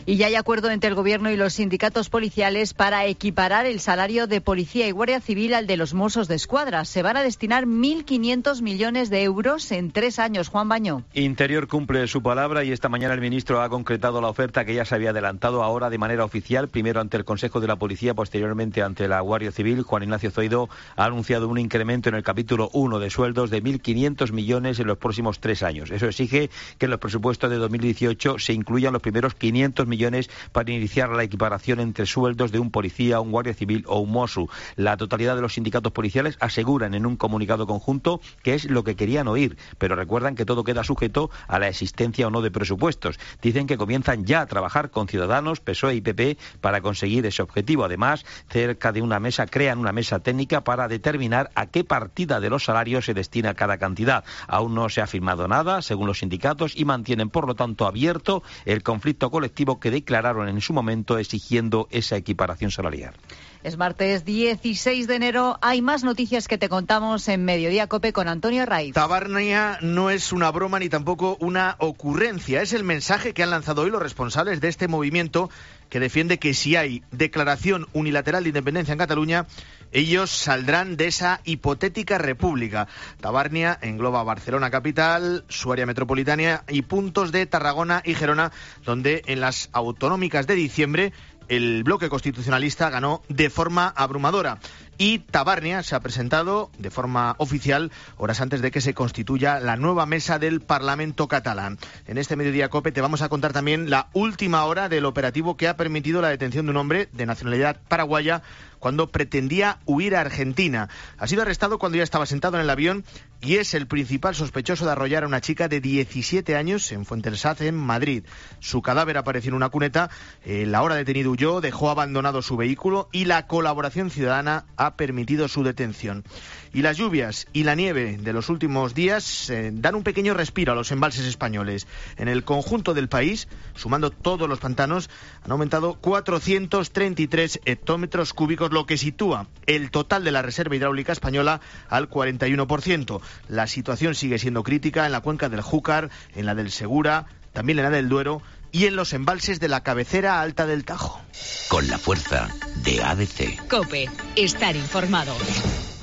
Y ya hay acuerdo entre el Gobierno y los sindicatos policiales para equiparar el salario de Policía y Guardia Civil al de los Mossos d'Esquadra. Se van a destinar 1.500 millones de euros en 3 años. Juan Bañó. Interior cumple su palabra y esta mañana el ministro ha concretado la oferta que ya se había adelantado ahora de manera oficial, primero ante el Consejo de la Policía, posteriormente ante la Guardia Civil. Juan Ignacio Zoido ha anunciado un incremento en el capítulo 1 de sueldos de 1.500 millones en los próximos 3 años. Eso exige que en los presupuestos de 2018 se incluyan los primeros 500 millones para iniciar la equiparación entre sueldos de un policía, un guardia civil o un Mosu. La totalidad de los sindicatos policiales aseguran en un comunicado conjunto que es lo que querían oír, pero recuerdan que todo queda sujeto a la existencia o no de presupuestos. Dicen que comienzan ya a trabajar con Ciudadanos, PSOE y PP para conseguir ese objetivo. Además, crean una mesa técnica para determinar a qué partida de los salarios se destina cada cantidad. Aún no se ha firmado nada, según los sindicatos, y mantienen, por lo tanto, abierto el conflicto colectivo que declararon en su momento exigiendo esa equiparación salarial. Es martes 16 de enero. Hay más noticias que te contamos en Mediodía COPE con Antonio Herraiz. Tabarnia no es una broma ni tampoco una ocurrencia. Es el mensaje que han lanzado hoy los responsables de este movimiento que defiende que si hay declaración unilateral de independencia en Cataluña, ellos saldrán de esa hipotética república. Tabarnia engloba Barcelona capital, su área metropolitana y puntos de Tarragona y Gerona, donde en las autonómicas de diciembre el bloque constitucionalista ganó de forma abrumadora. Y Tabarnia se ha presentado de forma oficial horas antes de que se constituya la nueva mesa del Parlamento catalán. En este Mediodía COPE te vamos a contar también la última hora del operativo que ha permitido la detención de un hombre de nacionalidad paraguaya cuando pretendía huir a Argentina. Ha sido arrestado cuando ya estaba sentado en el avión y es el principal sospechoso de arrollar a una chica de 17 años en Fuentesaz, en Madrid. Su cadáver apareció en una cuneta. La hora detenido huyó, dejó abandonado su vehículo y la colaboración ciudadana ha permitido su detención. Y las lluvias y la nieve de los últimos días dan un pequeño respiro a los embalses españoles. En el conjunto del país, sumando todos los pantanos, han aumentado 433 hectómetros cúbicos, lo que sitúa el total de la reserva hidráulica española al 41%. La situación sigue siendo crítica en la cuenca del Júcar, en la del Segura, también en la del Duero y en los embalses de la cabecera alta del Tajo. Con la fuerza de ADC. COPE. Estar informado.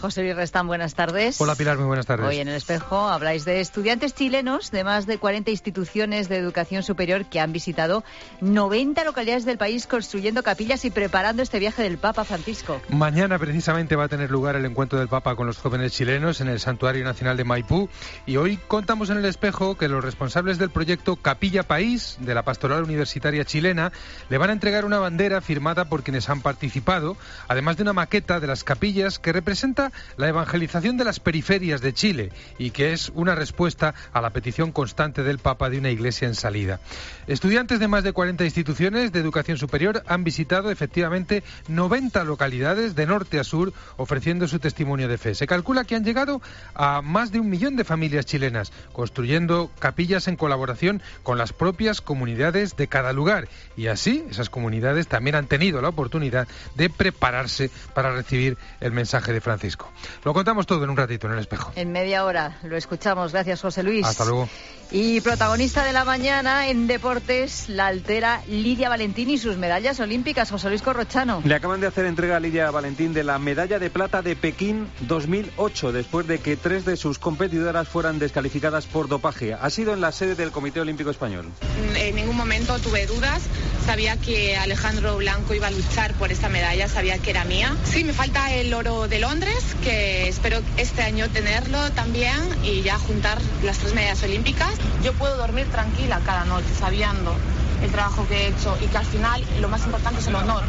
José Luis Restán, buenas tardes. Hola Pilar, muy buenas tardes. Hoy en El Espejo habláis de estudiantes chilenos de más de 40 instituciones de educación superior que han visitado 90 localidades del país construyendo capillas y preparando este viaje del Papa Francisco. Mañana precisamente va a tener lugar el encuentro del Papa con los jóvenes chilenos en el Santuario Nacional de Maipú y hoy contamos en El Espejo que los responsables del proyecto Capilla País de la Pastoral Universitaria Chilena le van a entregar una bandera firmada por quienes han participado, además de una maqueta de las capillas que representa prioridad la evangelización de las periferias de Chile y que es una respuesta a la petición constante del Papa de una iglesia en salida. Estudiantes de más de 40 instituciones de educación superior han visitado efectivamente 90 localidades de norte a sur ofreciendo su testimonio de fe. Se calcula que han llegado a más de 1 millón de familias chilenas, construyendo capillas en colaboración con las propias comunidades de cada lugar. Y así, esas comunidades también han tenido la oportunidad de prepararse para recibir el mensaje de Francisco. Lo contamos todo en un ratito en El Espejo. En media hora lo escuchamos. Gracias, José Luis. Hasta luego. Y protagonista de la mañana en deportes, la altera Lidia Valentín y sus medallas olímpicas. José Luis Corrochano. Le acaban de hacer entrega a Lidia Valentín de la medalla de plata de Pekín 2008, después de que 3 de sus competidoras fueran descalificadas por dopaje. Ha sido en la sede del Comité Olímpico Español. En ningún momento tuve dudas. Sabía que Alejandro Blanco iba a luchar por esta medalla, sabía que era mía. Sí, me falta el oro de Londres, que espero este año tenerlo también y ya juntar las 3 medallas olímpicas. Yo puedo dormir tranquila cada noche sabiendo el trabajo que he hecho y que al final lo más importante es el honor.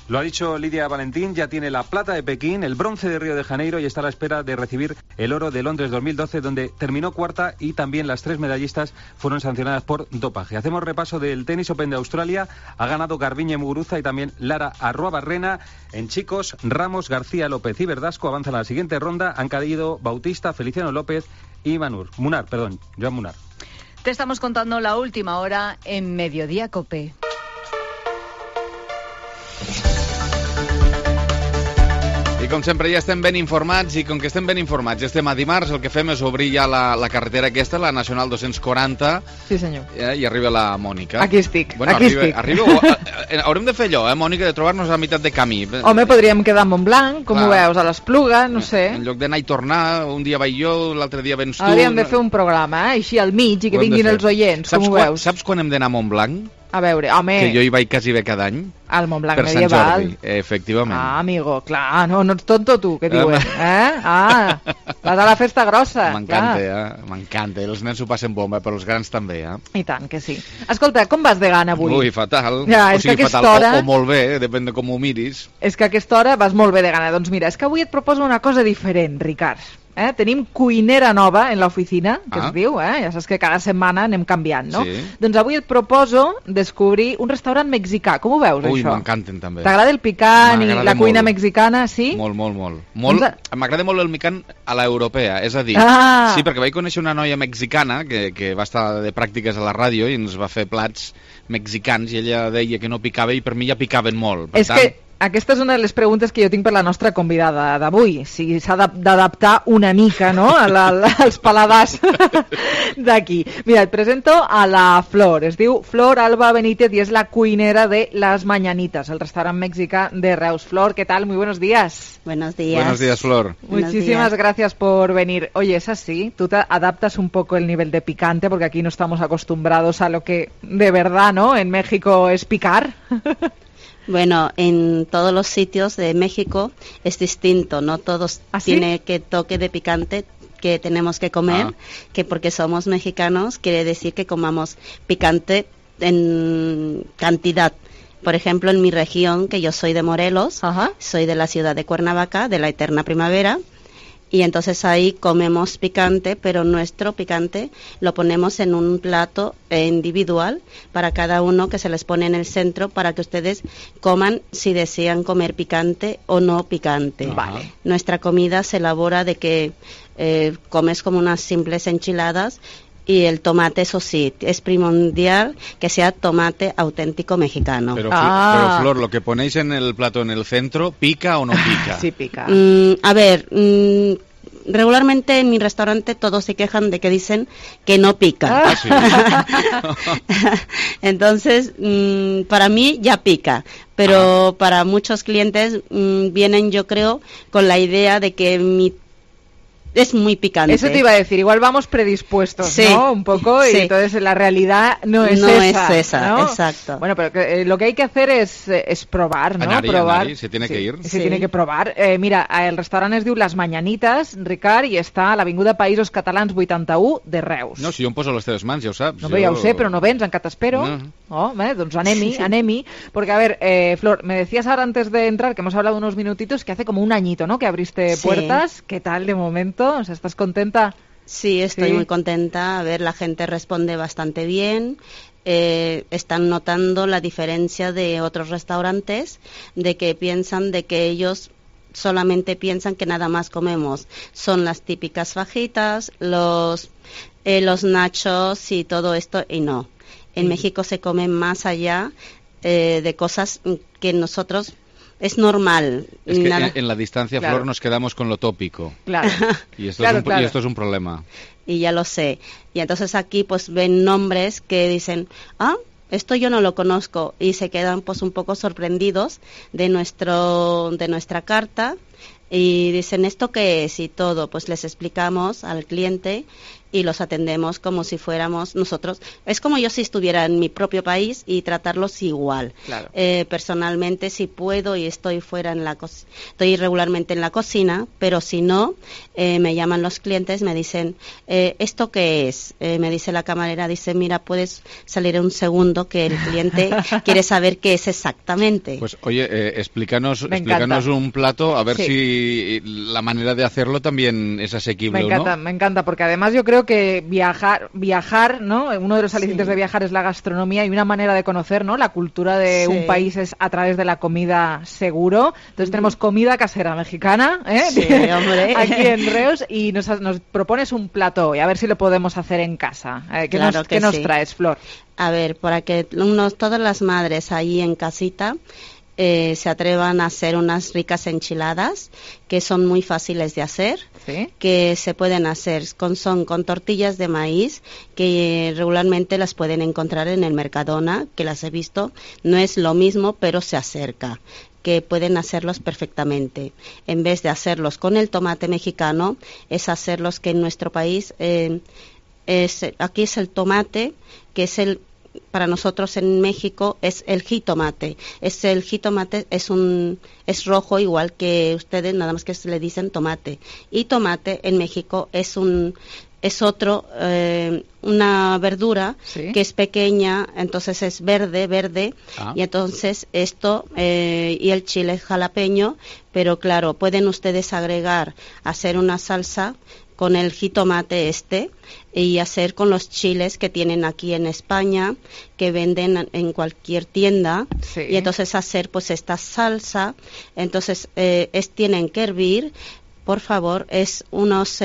Lo ha dicho Lidia Valentín, ya tiene la plata de Pekín, el bronce de Río de Janeiro y está a la espera de recibir el oro de Londres 2012, donde terminó cuarta y también las 3 medallistas fueron sancionadas por dopaje. Hacemos repaso del Tenis Open de Australia. Ha ganado Garbiñe Muguruza y también Lara Arruabarrena. En chicos, Ramos, García López y Verdasco avanzan a la siguiente ronda. Han caído Bautista, Feliciano López y Joan Munar. Te estamos contando la última hora en Mediodía COPE. I com sempre ja estem ben informats i com que estem ben informats estem a dimarts, el que fem és obrir ja la carretera aquesta, la Nacional 240. Sí, senyor. I arriba la Mònica. Aquí estic, bueno, aquí estic. Haurem de fer allò, Mònica, de trobar-nos a meitat de camí. Home, podríem quedar a Montblanc, com ho veus, a l'Espluga, no sé. En lloc d'anar i tornar, un dia vaig jo, l'altre dia vens tu. Hauríem de fer un programa, així al mig, i que vinguin els oients, com ho veus? Saps quan hem d'anar a Montblanc? A veure, home... Que jo hi vaig quasi bé cada any. Al Montblanc per medieval. Per Sant Jordi, efectivament. Ah, amigo, clar, no ets tonto tu, què diuen? Ah, vas a la festa grossa. M'encanta, m'encanta. Els nens ho passen bomba, però els grans també, I tant que sí. Escolta, com vas de gana avui? Ui, fatal. Ja, o sigui, fatal, hora... o molt bé, depèn de com ho miris. És que a aquesta hora vas molt bé de gana. Doncs mira, és que avui et proposo una cosa diferent, Ricard. Tenim cuinera nova en l'oficina, que es diu, ja saps que cada setmana anem canviant, no? Sí. Doncs avui et proposo descobrir un restaurant mexicà. Com ho veus, Ui, això? m'encanten també. T'agrada el picant i la cuina mexicana, sí? Molt. M'agrada molt el picant a l'europea, és a dir, sí, perquè vaig conèixer una noia mexicana que va estar de pràctiques a la ràdio i ens va fer plats mexicans i ella deia que no picava i per mi ja picaven molt. Per tant... que aquesta és una de les preguntes que jo tinc per la nostra convidada d'avui, si s'ha d'adaptar una mica, no?, als paladars d'aquí. Mira, et presento a la Flor, es diu Flor Alba Benítez y es la cuinera de Las Mañanitas, el restaurant mexicà de Reus. Flor, ¿qué tal? Muy buenos días. Buenos días. Buenos días, Flor. Muchísimas gracias por venir. Oye, es así, tú te adaptas un poco el nivel de picante, porque aquí no estamos acostumbrados a lo que de verdad, ¿no?, en México es picar. Bueno, en todos los sitios de México es distinto, no todos tienen que toque de picante que tenemos que comer, que porque somos mexicanos quiere decir que comamos picante en cantidad. Por ejemplo, en mi región, que yo soy de Morelos, soy de la ciudad de Cuernavaca, de la eterna primavera, y entonces ahí comemos picante, pero nuestro picante lo ponemos en un plato individual para cada uno, que se les pone en el centro para que ustedes coman si desean comer picante o no picante. Vale. Nuestra comida se elabora de que comes como unas simples enchiladas. Y el tomate, eso sí, es primordial que sea tomate auténtico mexicano. Pero Flor, lo que ponéis en el plato en el centro, ¿pica o no pica? Sí, pica. A ver, regularmente en mi restaurante todos se quejan de que dicen que no pica. Sí. Entonces, para mí ya pica. Pero para muchos clientes vienen, yo creo, con la idea de que mi es muy picante. Eso te iba a decir, igual vamos predispuestos, sí, ¿no? Un poco, y entonces la realidad no es esa, ¿no? Exacto. Bueno, pero lo que hay que hacer es probar, ¿no? Anar-hi, se tiene que ir. Se tiene que provar. Mira, el restaurant es diu Les Mañanites, Ricard, i està a l'Avinguda Països Catalans 81 de Reus. No, si jo em poso a les teves mans, ja ho saps. No, ja ho sé, però no vens, encara t'espero. No. Oh, doncs anem-hi. Porque, a ver, Flor, me decías ahora antes de entrar, que hemos hablado unos minutitos, que hace como un añito, ¿no?, que abriste puertas. ¿Qué tal de momento? O sea, ¿estás contenta? Sí, estoy muy contenta. A ver, la gente responde bastante bien. Están notando la diferencia de otros restaurantes, de que piensan de que ellos solamente piensan que nada más comemos son las típicas fajitas, los nachos y todo esto, y no. En México se come más allá de cosas que nosotros es normal. Es que en la distancia, Flor, nos quedamos con lo tópico. Claro. Y esto es un problema. Y ya lo sé. Y entonces aquí pues ven nombres que dicen, esto yo no lo conozco, y se quedan pues un poco sorprendidos de nuestra carta, y dicen, ¿esto qué es? Y todo, pues les explicamos al cliente y los atendemos como si fuéramos nosotros. Es como yo si estuviera en mi propio país y tratarlos igual. Claro. Personalmente, si puedo y estoy estoy regularmente en la cocina, pero si no, me llaman los clientes, me dicen, ¿esto qué es? Me dice la camarera, dice, mira, puedes salir un segundo, que el cliente quiere saber qué es exactamente. Pues oye, explícanos un plato, a ver si la manera de hacerlo también es asequible. Me encanta, porque además yo creo que viajar, ¿no? Uno de los alicientes de viajar es la gastronomía, y una manera de conocer, ¿no?, la cultura de un país es a través de la comida, seguro. Entonces tenemos comida casera mexicana, Sí, hombre. aquí en Reus, y nos propones un plato hoy, a ver si lo podemos hacer en casa. ¿Qué nos traes, Flor? A ver, para que todas las madres ahí en casita se atrevan a hacer unas ricas enchiladas, que son muy fáciles de hacer, que se pueden hacer con tortillas de maíz, que regularmente las pueden encontrar en el Mercadona, que las he visto. No es lo mismo, pero se acerca, que pueden hacerlos perfectamente. En vez de hacerlos con el tomate mexicano, es hacerlos que en nuestro país aquí es el tomate, que es para nosotros en México es el jitomate. El jitomate es rojo, igual que ustedes, nada más que se le dicen tomate. Y tomate en México es una verdura que es pequeña, entonces es verde, y entonces esto y el chile jalapeño, pero claro, pueden ustedes hacer una salsa con el jitomate y hacer con los chiles que tienen aquí en España, que venden en cualquier tienda, y entonces hacer pues esta salsa. Entonces tienen que hervir, por favor, es unos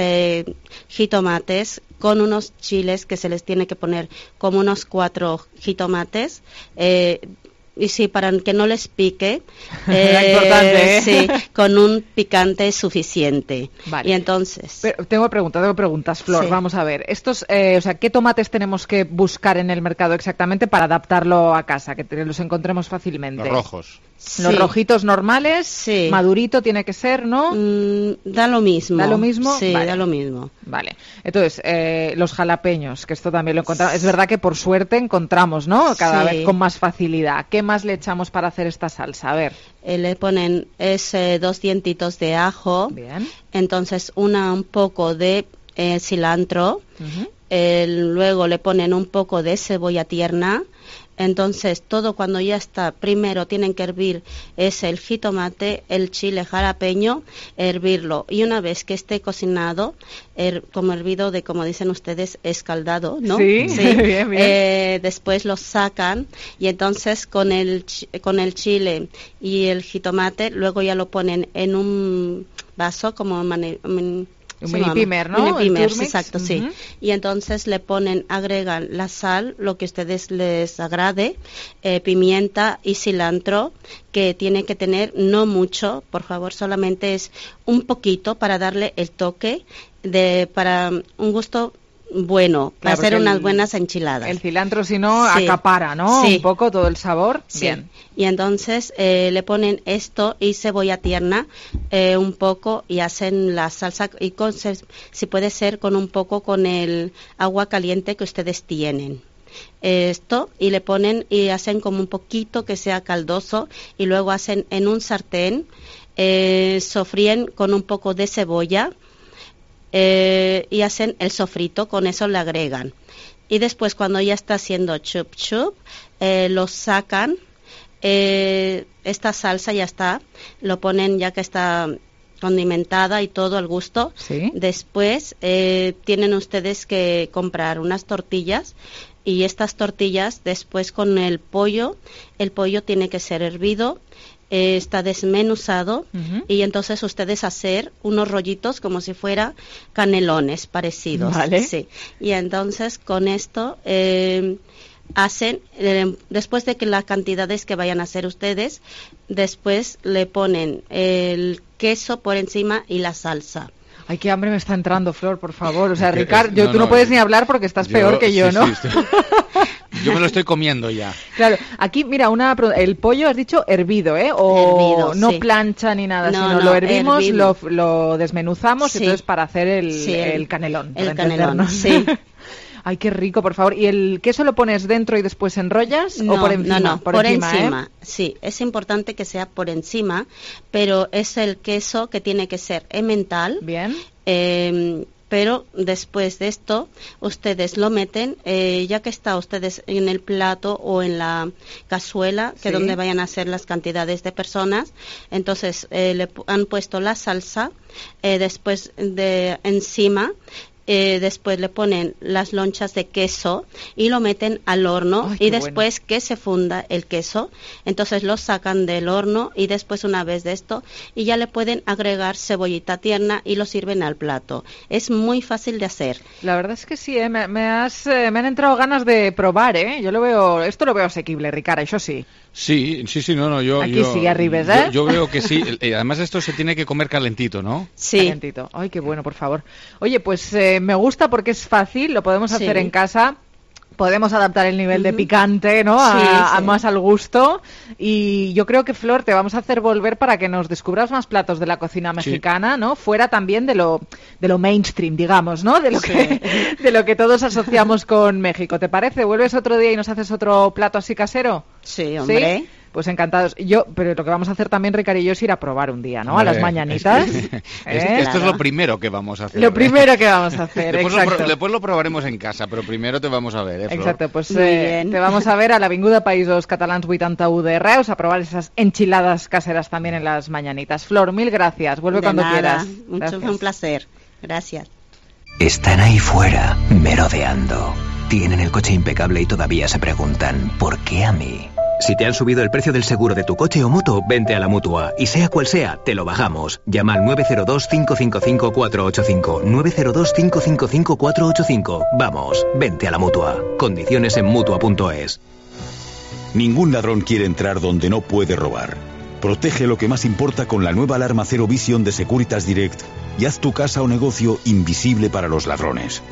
jitomates con unos chiles que se les tiene que poner como unos 4 jitomates, y sí, para que no les pique, importante, sí, con un picante suficiente. Vale. Y entonces... Pero tengo preguntas, Flor. Vamos a ver. Estos, ¿qué tomates tenemos que buscar en el mercado exactamente para adaptarlo a casa, que los encontremos fácilmente? Los rojos. Los rojitos normales, madurito tiene que ser, ¿no? Da lo mismo. ¿Da lo mismo? Sí, vale. Da lo mismo. Vale. Entonces, los jalapeños, que esto también lo encontramos. Es verdad que por suerte encontramos, ¿no?, cada vez con más facilidad. ¿Qué más le echamos para hacer esta salsa? A ver. Le ponen 2 dientitos de ajo. Bien. Entonces, un poco de cilantro. Luego le ponen un poco de cebolla tierna. Entonces, todo cuando ya está, primero tienen que hervir el jitomate, el chile jalapeño, hervirlo. Y una vez que esté cocinado, como hervido, como dicen ustedes, escaldado, ¿no? Sí. Bien. Después lo sacan, y entonces con el chile y el jitomate, luego ya lo ponen en un vaso como un mini pimer, ¿no? Mini pimer, exacto, sí. Y entonces agregan la sal, lo que a ustedes les agrade, pimienta y cilantro, que tiene que tener no mucho, por favor, solamente es un poquito para darle el toque, para un gusto bueno, claro, va a ser unas buenas enchiladas. El cilantro, si no, acapara, ¿no? Sí. Un poco todo el sabor. Sí. Bien. Y entonces le ponen esto y cebolla tierna un poco y hacen la salsa, y si puede ser con un poco con el agua caliente que ustedes tienen. Esto, y le ponen y hacen como un poquito que sea caldoso, y luego hacen en un sartén, sofríen con un poco de cebolla, y hacen el sofrito, con eso le agregan. Y después, cuando ya está haciendo chup chup, lo sacan, esta salsa ya está, lo ponen ya que está condimentada y todo al gusto. ¿Sí? Después tienen ustedes que comprar unas tortillas, y estas tortillas después con el pollo tiene que ser hervido, está desmenuzado, y entonces ustedes hacer unos rollitos como si fuera canelones parecidos. Vale. Sí. Y entonces con esto hacen, después de que las cantidades que vayan a hacer ustedes, después le ponen el queso por encima y la salsa. Ay, qué hambre me está entrando, Flor, por favor. O sea, Ricard, tú no puedes ni hablar porque estás peor que yo, ¿no? Sí, yo me lo estoy comiendo ya. Claro, aquí, mira, el pollo has dicho hervido, ¿eh? O hervido, no sí. plancha ni nada, No, sino no, lo hervimos, hervido. lo desmenuzamos, Sí. y entonces para hacer Sí, el canelón. El para canelón, entendernos. sí. Ay, qué rico, por favor. ¿Y el queso lo pones dentro y después enrollas o por encima? No, por encima. ¿eh? Sí, es importante que sea por encima, pero es el queso que tiene que ser emmental. Bien. Pero después de esto, ustedes lo meten, ya que está ustedes en el plato o en la cazuela, que Sí. donde vayan a hacer las cantidades de personas, entonces le han puesto la salsa, después de encima. Después le ponen las lonchas de queso y lo meten al horno. Ay, qué y después que se funda el queso, entonces lo sacan del horno, y después una vez de esto y ya le pueden agregar cebollita tierna y lo sirven al plato. Es muy fácil de hacer. La verdad es que sí, me han entrado ganas de probar, ¿eh? Esto lo veo asequible, Ricard, eso sí. Sí, no, yo... Aquí sí, arribes, ¿eh? Yo veo que sí. Además esto se tiene que comer calentito, ¿no? Sí. Calentito. Ay, qué bueno, por favor. Oye, pues me gusta porque es fácil, lo podemos hacer en casa. Podemos adaptar el nivel de picante, ¿no? A más al gusto. Y yo creo que, Flor, te vamos a hacer volver para que nos descubras más platos de la cocina mexicana, ¿no? Fuera también de lo mainstream, digamos, ¿no? De lo que todos asociamos con México. ¿Te parece? ¿Vuelves otro día y nos haces otro plato así casero? Sí, hombre. ¿Sí? Pues encantados. Pero lo que vamos a hacer también, Ricard y yo, es ir a probar un día, ¿no? A las mañanitas. Esto es lo primero que vamos a hacer. Lo primero que vamos a hacer, exacto. Después lo probaremos en casa, pero primero te vamos a ver, Flor? Exacto, pues te vamos a ver a l'Avinguda Països Catalans 81 de Reus, a probar esas enchiladas caseras también en las mañanitas. Flor, mil gracias. Vuelve De cuando nada. quieras. Mucho, fue un placer. Gracias. Están ahí fuera, merodeando. Tienen el coche impecable y todavía se preguntan, ¿por qué a mí? Si te han subido el precio del seguro de tu coche o moto, vente a la Mutua. Y sea cual sea, te lo bajamos. Llama al 902-555-485. 902-555-485. Vamos, vente a la Mutua. Condiciones en Mutua.es. Ningún ladrón quiere entrar donde no puede robar. Protege lo que más importa con la nueva alarma Zero Vision de Securitas Direct y haz tu casa o negocio invisible para los ladrones.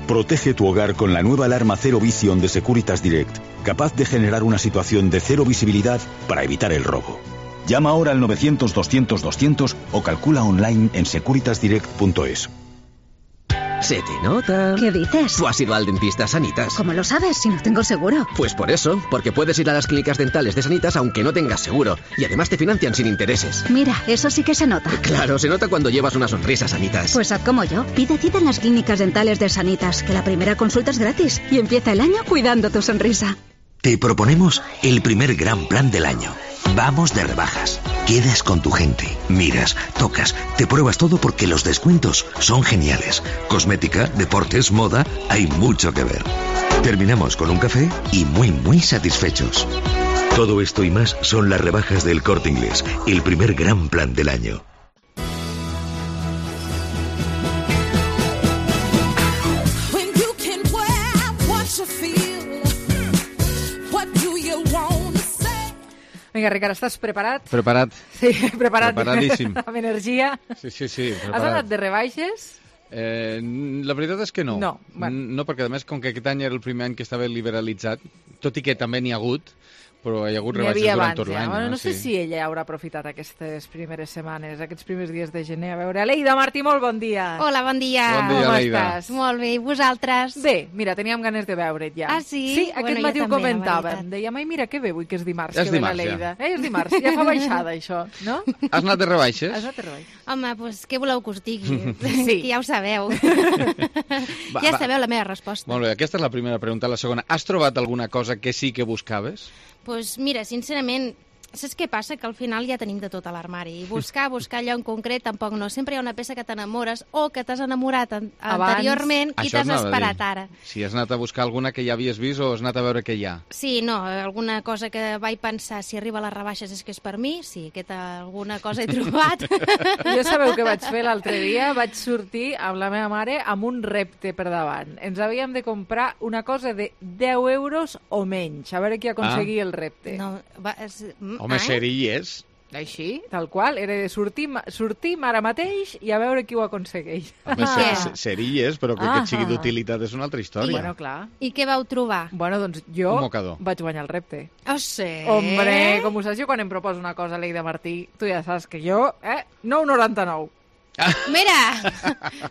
Protege tu hogar con la nueva alarma Zero Vision de Securitas Direct, capaz de generar una situación de cero visibilidad para evitar el robo. Llama ahora al 900-200-200 o calcula online en securitasdirect.es. Se te nota. ¿Qué dices? Tú has ido al dentista Sanitas. ¿Cómo lo sabes si no tengo seguro? Pues por eso, porque puedes ir a las clínicas dentales de Sanitas aunque no tengas seguro. Y además te financian sin intereses. Mira, eso sí que se nota. Claro, se nota cuando llevas una sonrisa, Sanitas. Pues haz como yo. Pide cita en las clínicas dentales de Sanitas, que la primera consulta es gratis. Y empieza el año cuidando tu sonrisa. Te proponemos el primer gran plan del año. Vamos de rebajas. Quedas con tu gente, miras, tocas, te pruebas todo porque los descuentos son geniales. Cosmética, deportes, moda, hay mucho que ver. Terminamos con un café y muy satisfechos. Todo esto y más son las rebajas del Corte Inglés, el primer gran plan del año. Vinga, Ricard, estàs preparat? Preparat. Sí, preparat. Preparadíssim. Amb energia. Sí, preparat. Has anat de rebaixes? La veritat és que no. No, perquè a més, com que aquest any era el primer any que estava liberalitzat, tot i que també n'hi ha hagut, però hi ha hagut rebaixes durant tot l'any. No sé si ella haurà aprofitat aquestes primeres setmanes, aquests primers dies de gener. A veure, Aleida Martí, molt bon dia. Hola, bon dia. Bon dia, Aleida. Com estàs? Molt bé, i vosaltres? Bé, mira, teníem ganes de veure't ja. Ah, sí? Sí, aquest matí ho comentàvem. Dèiem, ai, mira, que bé avui que és dimarts, que ve l'Aleida. És dimarts, ja fa baixada, això, no? Has anat de rebaixes? Has anat de rebaixes. Home, doncs què voleu que us digui? Sí. Que ja ho sabeu. Ja sabeu la meva resposta. Molt bé, aquesta és la primera pregunta. La segona, has trobat alguna cosa que sí que buscaves? Doncs mira, sincerament, saps què passa? Que al final ja tenim de tot a l'armari. I buscar allò en concret tampoc no. Sempre hi ha una peça que t'enamores o que t'has enamorat anteriorment i t'has esperat ara. Si has anat a buscar alguna que ja havies vist o has anat a veure què hi ha? Sí, no, alguna cosa que vaig pensar, si arriba a les rebaixes és que és per mi, sí, alguna cosa he trobat. Jo sabeu què vaig fer l'altre dia? Vaig sortir amb la meva mare amb un repte per davant. Ens havíem de comprar una cosa de 10 euros o menys, a veure qui aconseguia el repte. No, home, series. Així, tal qual. Era de sortim ara mateix i a veure qui ho aconsegueix. Home, series, però que et sigui d'utilitat és una altra història. Bueno, clar. I què vau trobar? Bueno, doncs jo mocador. Vaig guanyar el repte. Oh, sí? Hombre, com ho saps, jo quan em proposo una cosa, Aleida Martí, tu ja saps que jo, 9,99. Mira,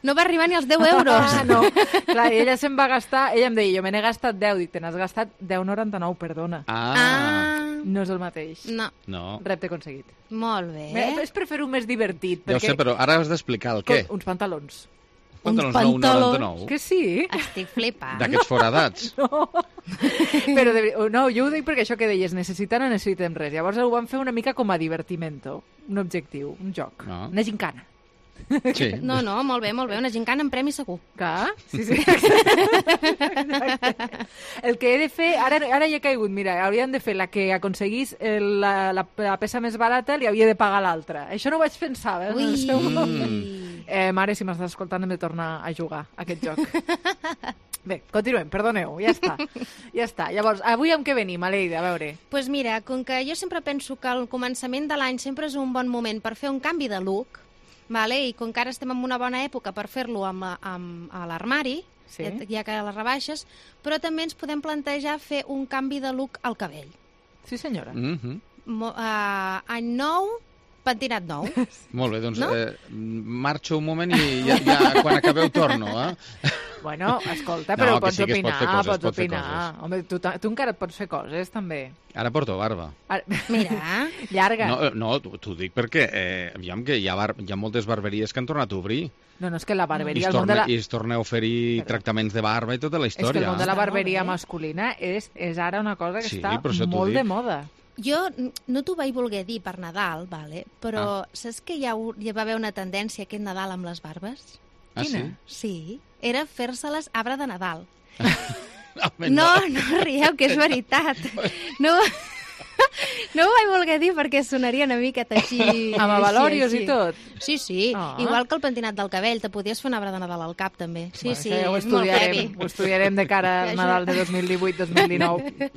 no va arribar ni als 10 euros. No, clar, ella se'n va gastar, ella em deia, jo me n'he gastat 10, dic, te n'has gastat 10,99, perdona. No és el mateix. No. Repte aconseguit. Molt bé. És per fer-ho més divertit. Ja ho sé, però ara has d'explicar el què. Uns pantalons. Pantalons 9,99? Que sí? Estic flipant. D'aquests foradats? No. Però no, jo ho dic perquè això que deies, necessitem res. Llavors ho vam fer una mica com a divertimento, un objectiu, un joc, una gincana. Sí. No, molt bé, una gincana en premi segur. Clar, sí. El que he de fer, ara ja he caigut, mira, hauríem de fer la que aconseguís la peça més barata, li havia de pagar l'altra. Això no ho vaig pensar, mare, si m'estàs escoltant hem de tornar a jugar a aquest joc. Bé, continuem, perdoneu, ja està. Llavors, avui amb què venim, Aleida, a veure? Doncs mira, com que jo sempre penso que el començament de l'any sempre és un bon moment per fer un canvi de look, i com que ara estem en una bona època per fer-lo a l'armari, ja que a les rebaixes, però també ens podem plantejar fer un canvi de look al cabell. Sí, senyora. Any nou, pentinat nou. Molt bé, doncs marxo un moment i ja quan acabeu torno, Bueno, escolta, però pots opinar, pots opinar. Home, tu encara et pots fer coses, també. Ara porto barba. Mira, llarga. No, t'ho dic perquè aviam que hi ha moltes barberies que han tornat a obrir. No, és que la barberia... I es torna a oferir tractaments de barba i tota la història. És que el món de la barberia masculina és ara una cosa que està molt de moda. Jo no t'ho vaig voler dir per Nadal, però saps que ja va haver una tendència aquest Nadal amb les barbes? Quina? Sí, era fer-se-les arbre de Nadal. No rieu, que és veritat. No ho vaig voler dir perquè sonaria una miqueta així... Amb avalòrios i tot? Sí. Igual que el pentinat del cabell, te podies fer un arbre de Nadal al cap, també. Sí, ho estudiarem de cara al Nadal de 2018-2019.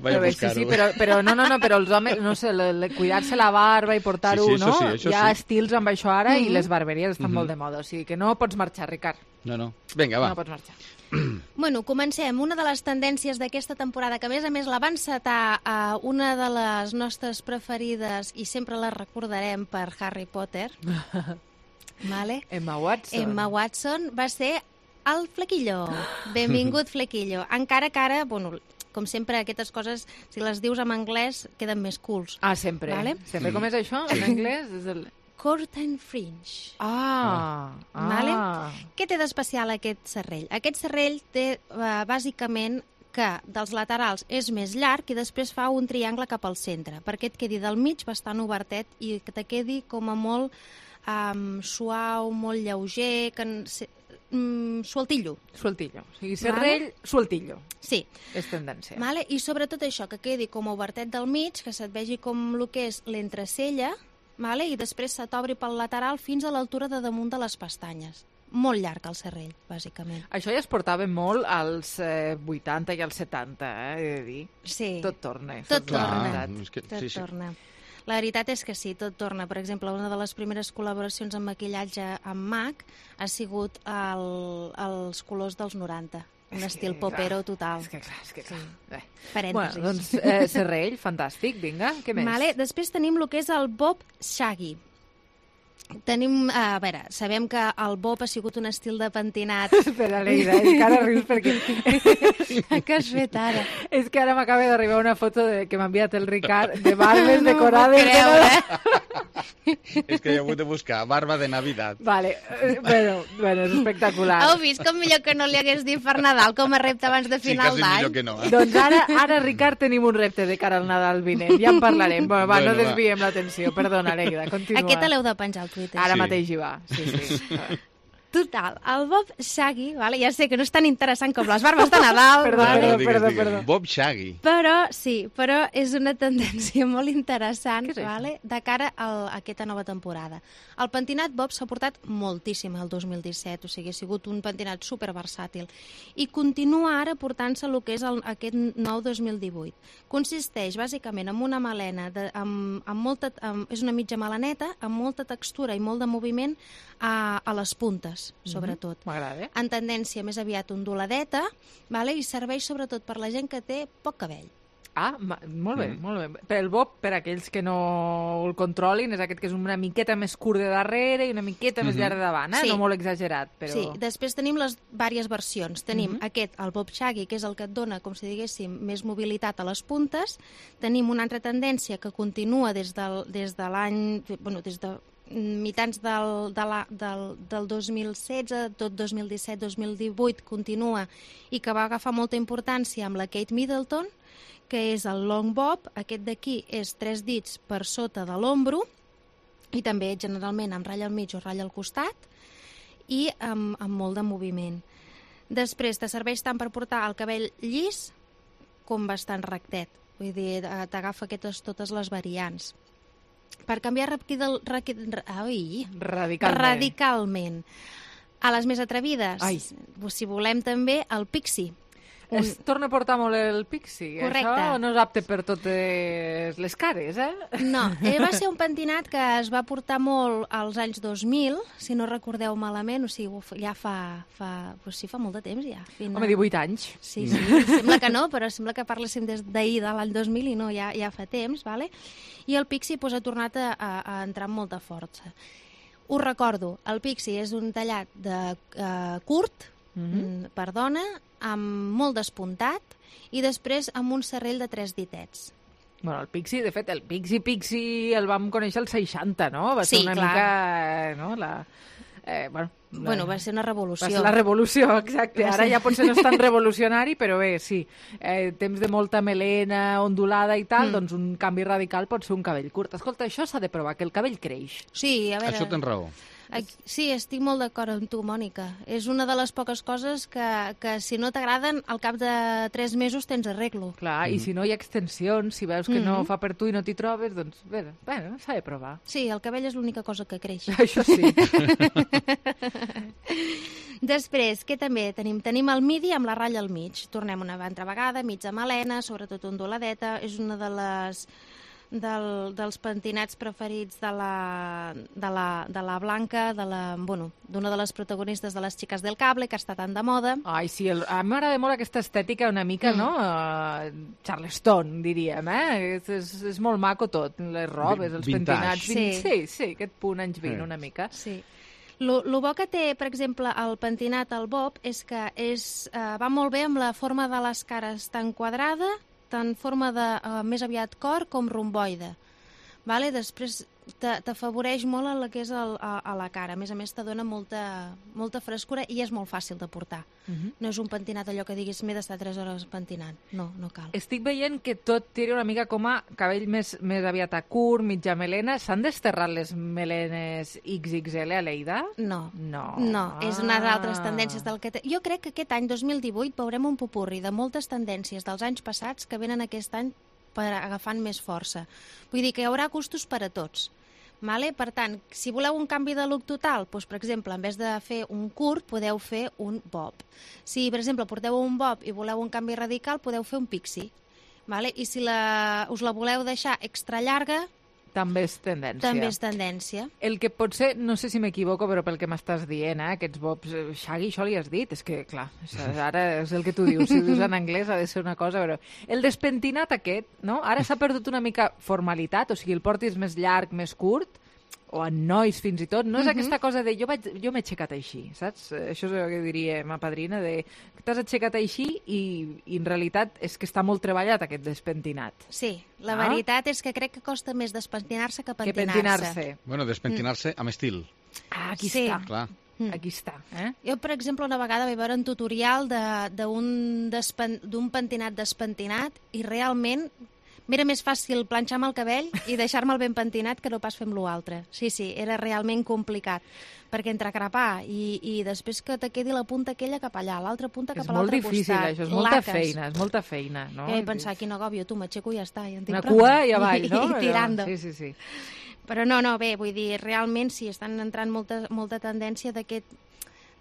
Vaig a buscar-ho. Però els homes, no sé, cuidar-se la barba i portar-ho, no? Hi ha estils amb això ara i les barberies estan molt de moda, o sigui que no pots marxar, Ricard. No. Vinga, va. No pots marxar. Bueno, comencem. Una de les tendències d'aquesta temporada, que a més la va encetar una de les nostres preferides i sempre la recordarem per Harry Potter, Emma Watson. Emma Watson va ser el Flequillo. Benvingut, Flequillo. Encara que ara, bueno, com sempre, aquestes coses, si les dius en anglès, queden més cools. Sempre. Sempre. Com és això, en anglès? És el... Curtain Fringe. Què té d'especial aquest serrell? Aquest serrell té, bàsicament, que dels laterals és més llarg i després fa un triangle cap al centre, perquè et quedi del mig bastant obertet i que te quedi com a molt suau, molt lleuger, sueltillo. Sueltillo. O sigui, serrell, sueltillo. Sí. És tendència. I sobretot això, que quedi com a obertet del mig, que se't vegi com el que és l'entrecella, i després se t'obri pel lateral fins a l'altura de damunt de les pestanyes. Molt llarg el serrell, bàsicament. Això ja es portava molt als 80 i als 70, he de dir. Sí. Tot torna. Tot torna. La veritat és que sí, tot torna. Per exemple, una de les primeres col·laboracions en maquillatge amb MAC ha sigut els colors dels 90. Un estil popero total. És que clar. Sí. Parèntesis. Bueno, doncs Serrell, fantàstic, vinga, què més? Vale, després tenim el que és el Bob Shaggy. Tenim, a veure, sabem que el Bob ha sigut un estil de pentinat. Espera, Leida, és que ara rius perquè... Què has fet ara? És que ara m'acaba d'arribar una foto que m'ha enviat el Ricard de barbes decorades. És que he hagut de buscar barba de Navidad. Vale, bueno, és espectacular. Heu vist com millor que no li hagués dit per Nadal com a repte abans de final d'any? Sí, quasi millor que no. Doncs ara, Ricard, tenim un repte de cara al Nadal vinent. Ja en parlarem. Va, no desviem l'atenció. Perdona, Leida, continua. Aquest l'heu de penjar al Twitter. Ara mateix hi va, sí. Total, el Bob Shaggy, vale? Ja sé que no és tan interessant com les barbes de Nadal. Perdó. Bob Shaggy. Però és una tendència molt interessant, vale? De cara a aquesta nova temporada. El pentinat Bob s'ha portat moltíssim el 2017, o sigui, ha sigut un pentinat superversàtil. I continua ara portant-se el que és aquest nou 2018. Consisteix bàsicament en una melena, és una mitja melaneta, amb molta textura i molt de moviment a les puntes, sobretot. M'agrada. En tendència més aviat onduladeta, vale? I serveix sobretot per la gent que té poc cabell. Ah, molt bé, molt bé. Per el Bob, per aquells que no el controlin, és aquest que és una miqueta més curt de darrere i una miqueta més llarg de davant, Sí. No molt exagerat, però... Sí, després tenim les diverses versions. Tenim aquest, el Bob Shaggy, que és el que et dona, com si diguéssim, més mobilitat a les puntes. Tenim una altra tendència que continua des de l'any... Bueno, des de mitjans del 2016, tot 2017-2018 continua i que va agafar molta importància amb la Kate Middleton, que és el long bob. Aquest d'aquí és 3 dits per sota de l'ombro i també generalment amb ratlla al mig o ratlla al costat i amb molt de moviment. Després te serveix tant per portar el cabell llis com bastant rectet, vull dir, t'agafa totes les variants. Per canviar radicalment a les més atrevides, si volem també el pixie. Es torna a portar molt el pixie. Correcte. Això no és apte per totes les cares, No, va ser un pentinat que es va portar molt als anys 2000, si no recordeu malament, o sigui, ja fa molt de temps ja. Home, 18 anys. Sí, sembla que no, però sembla que parléssim des d'ahir de l'any 2000 i no, ja fa temps, vale? I el pixie ha tornat a entrar amb molta força. Us recordo, el pixie és un tallat de curt, per dona, amb molt despuntat i després amb un serrell de 3 ditets. Bueno, el pixie, de fet, el pixie el vam conèixer als 60, no? Va ser una mica... No? Bueno, va ser una revolució. Va ser la revolució, exacte. Ara ja potser no és tan revolucionari, però bé, sí. Temps de molta melena ondulada i tal, doncs un canvi radical pot ser un cabell curt. Escolta, això s'ha de provar, que el cabell creix. Sí, a veure... Això tens raó. Sí, estic molt d'acord amb tu, Mònica. És una de les poques coses que si no t'agraden, al cap de 3 mesos tens arreglo. Clar, i si no hi ha extensions, si veus que no fa per tu i no t'hi trobes, doncs bé, s'ha de provar. Sí, el cabell és l'única cosa que creix. Això sí. Després, què també tenim? Tenim el midi amb la ratlla al mig. Tornem una altra vegada, mitja melena, sobretot onduladeta. És una de les... dels pentinats preferits de la Blanca, d'una de les protagonistes de les Xiques del Cable, que està tan de moda. Ai, sí, a mi m'agrada molt aquesta estètica una mica, no? Charleston, diríem, És molt maco tot, les robes, els pentinats. Sí, aquest punt anys 20 una mica. Sí. Lo bo que té, per exemple, el pentinat al bob és que va molt bé amb la forma de les cares tan quadrada, tant forma de més aviat cor com romboide. Vale? Després t'afavoreix molt el que és a la cara. A més, te dona molta frescura i és molt fàcil de portar. No és un pentinat allò que diguis m'he d'estar 3 hores pentinant. No cal. Estic veient que tot tira una mica com a cabell més aviat a curt, mitja melena. S'han desterrat les melenes XXL a Lleida? No, és unes altres tendències del que... Jo crec que aquest any 2018 veurem un popurri de moltes tendències dels anys passats que venen aquest any agafant més força. Vull dir que hi haurà gustos per a tots. Vale? Per tant, si voleu un canvi de look total, doncs, per exemple, en vez de fer un curt, podeu fer un bob. Si, per exemple, porteu un bob i voleu un canvi radical, podeu fer un pixie. Vale? I si us la voleu deixar extra llarga, també és tendència. També és tendència. El que potser, no sé si m'equivoco, però pel que m'estàs dient, aquests bobs, Shaggy, això li has dit, és que, clar, ara és el que tu dius, si ho dius en anglès ha de ser una cosa, però el despentinat aquest, no? Ara s'ha perdut una mica formalitat, o sigui, el portis més llarg, més curt, o en nois fins i tot, no és aquesta cosa de jo m'he aixecat així, saps? Això és el que diria ma padrina, de t'has aixecat així i en realitat és que està molt treballat aquest despentinat. Sí, la veritat és que crec que costa més despentinar-se que pentinar-se. Bueno, despentinar-se amb estil. Aquí està. Clar. Aquí està. Jo, per exemple, una vegada vaig veure un tutorial d'un pentinat despentinat i realment m'era més fàcil planxar-me el cabell i deixar-me'l ben pentinat que no pas fer amb l'altre. Sí, era realment complicat, perquè entre crepar i després que te quedi la punta aquella cap allà, l'altra punta cap a l'altre costat. És molt difícil, això, és molta feina. No? Jo vaig pensar, quin agòbio, tu m'aixeco i ja està. Una cua i avall, no? I tirando. Sí. Però no, bé, vull dir, realment sí, estan entrant molta tendència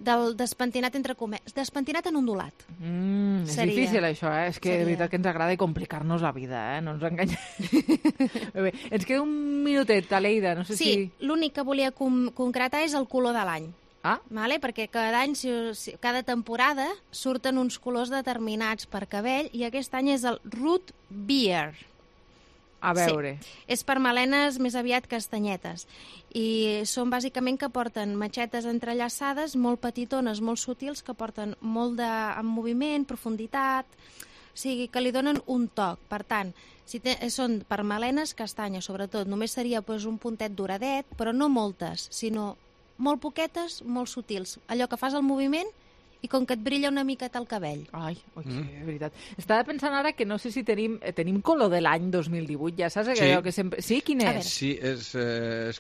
del despentinat entre cometes, despentinat en ondulat. És difícil això, És que de veritat que ens agrada complicar-nos la vida, no ens enganyem. Bé, ens queda un minutet, Aleida, no sé si... Sí, l'únic que volia concretar és el color de l'any. Vale? Perquè cada any, cada temporada, surten uns colors determinats per cabell i aquest any és el Root Beer. A veure. Sí. És per melenes més aviat castanyetes. I són bàsicament que porten matxetes entrellaçades, molt petitones, molt sutils, que porten molt en moviment, profunditat, o sigui, que li donen un toc. Per tant, si són per melenes castanyes, sobretot, només seria un puntet doradet, però no moltes, sinó molt poquetes, molt sutils. Allò que fas el moviment i com que et brilla una miqueta el cabell. Ai, de veritat. Estava pensant ara que no sé si tenim color de l'any 2018, ja saps? Sí. Que sempre... Sí, quin és? Sí, és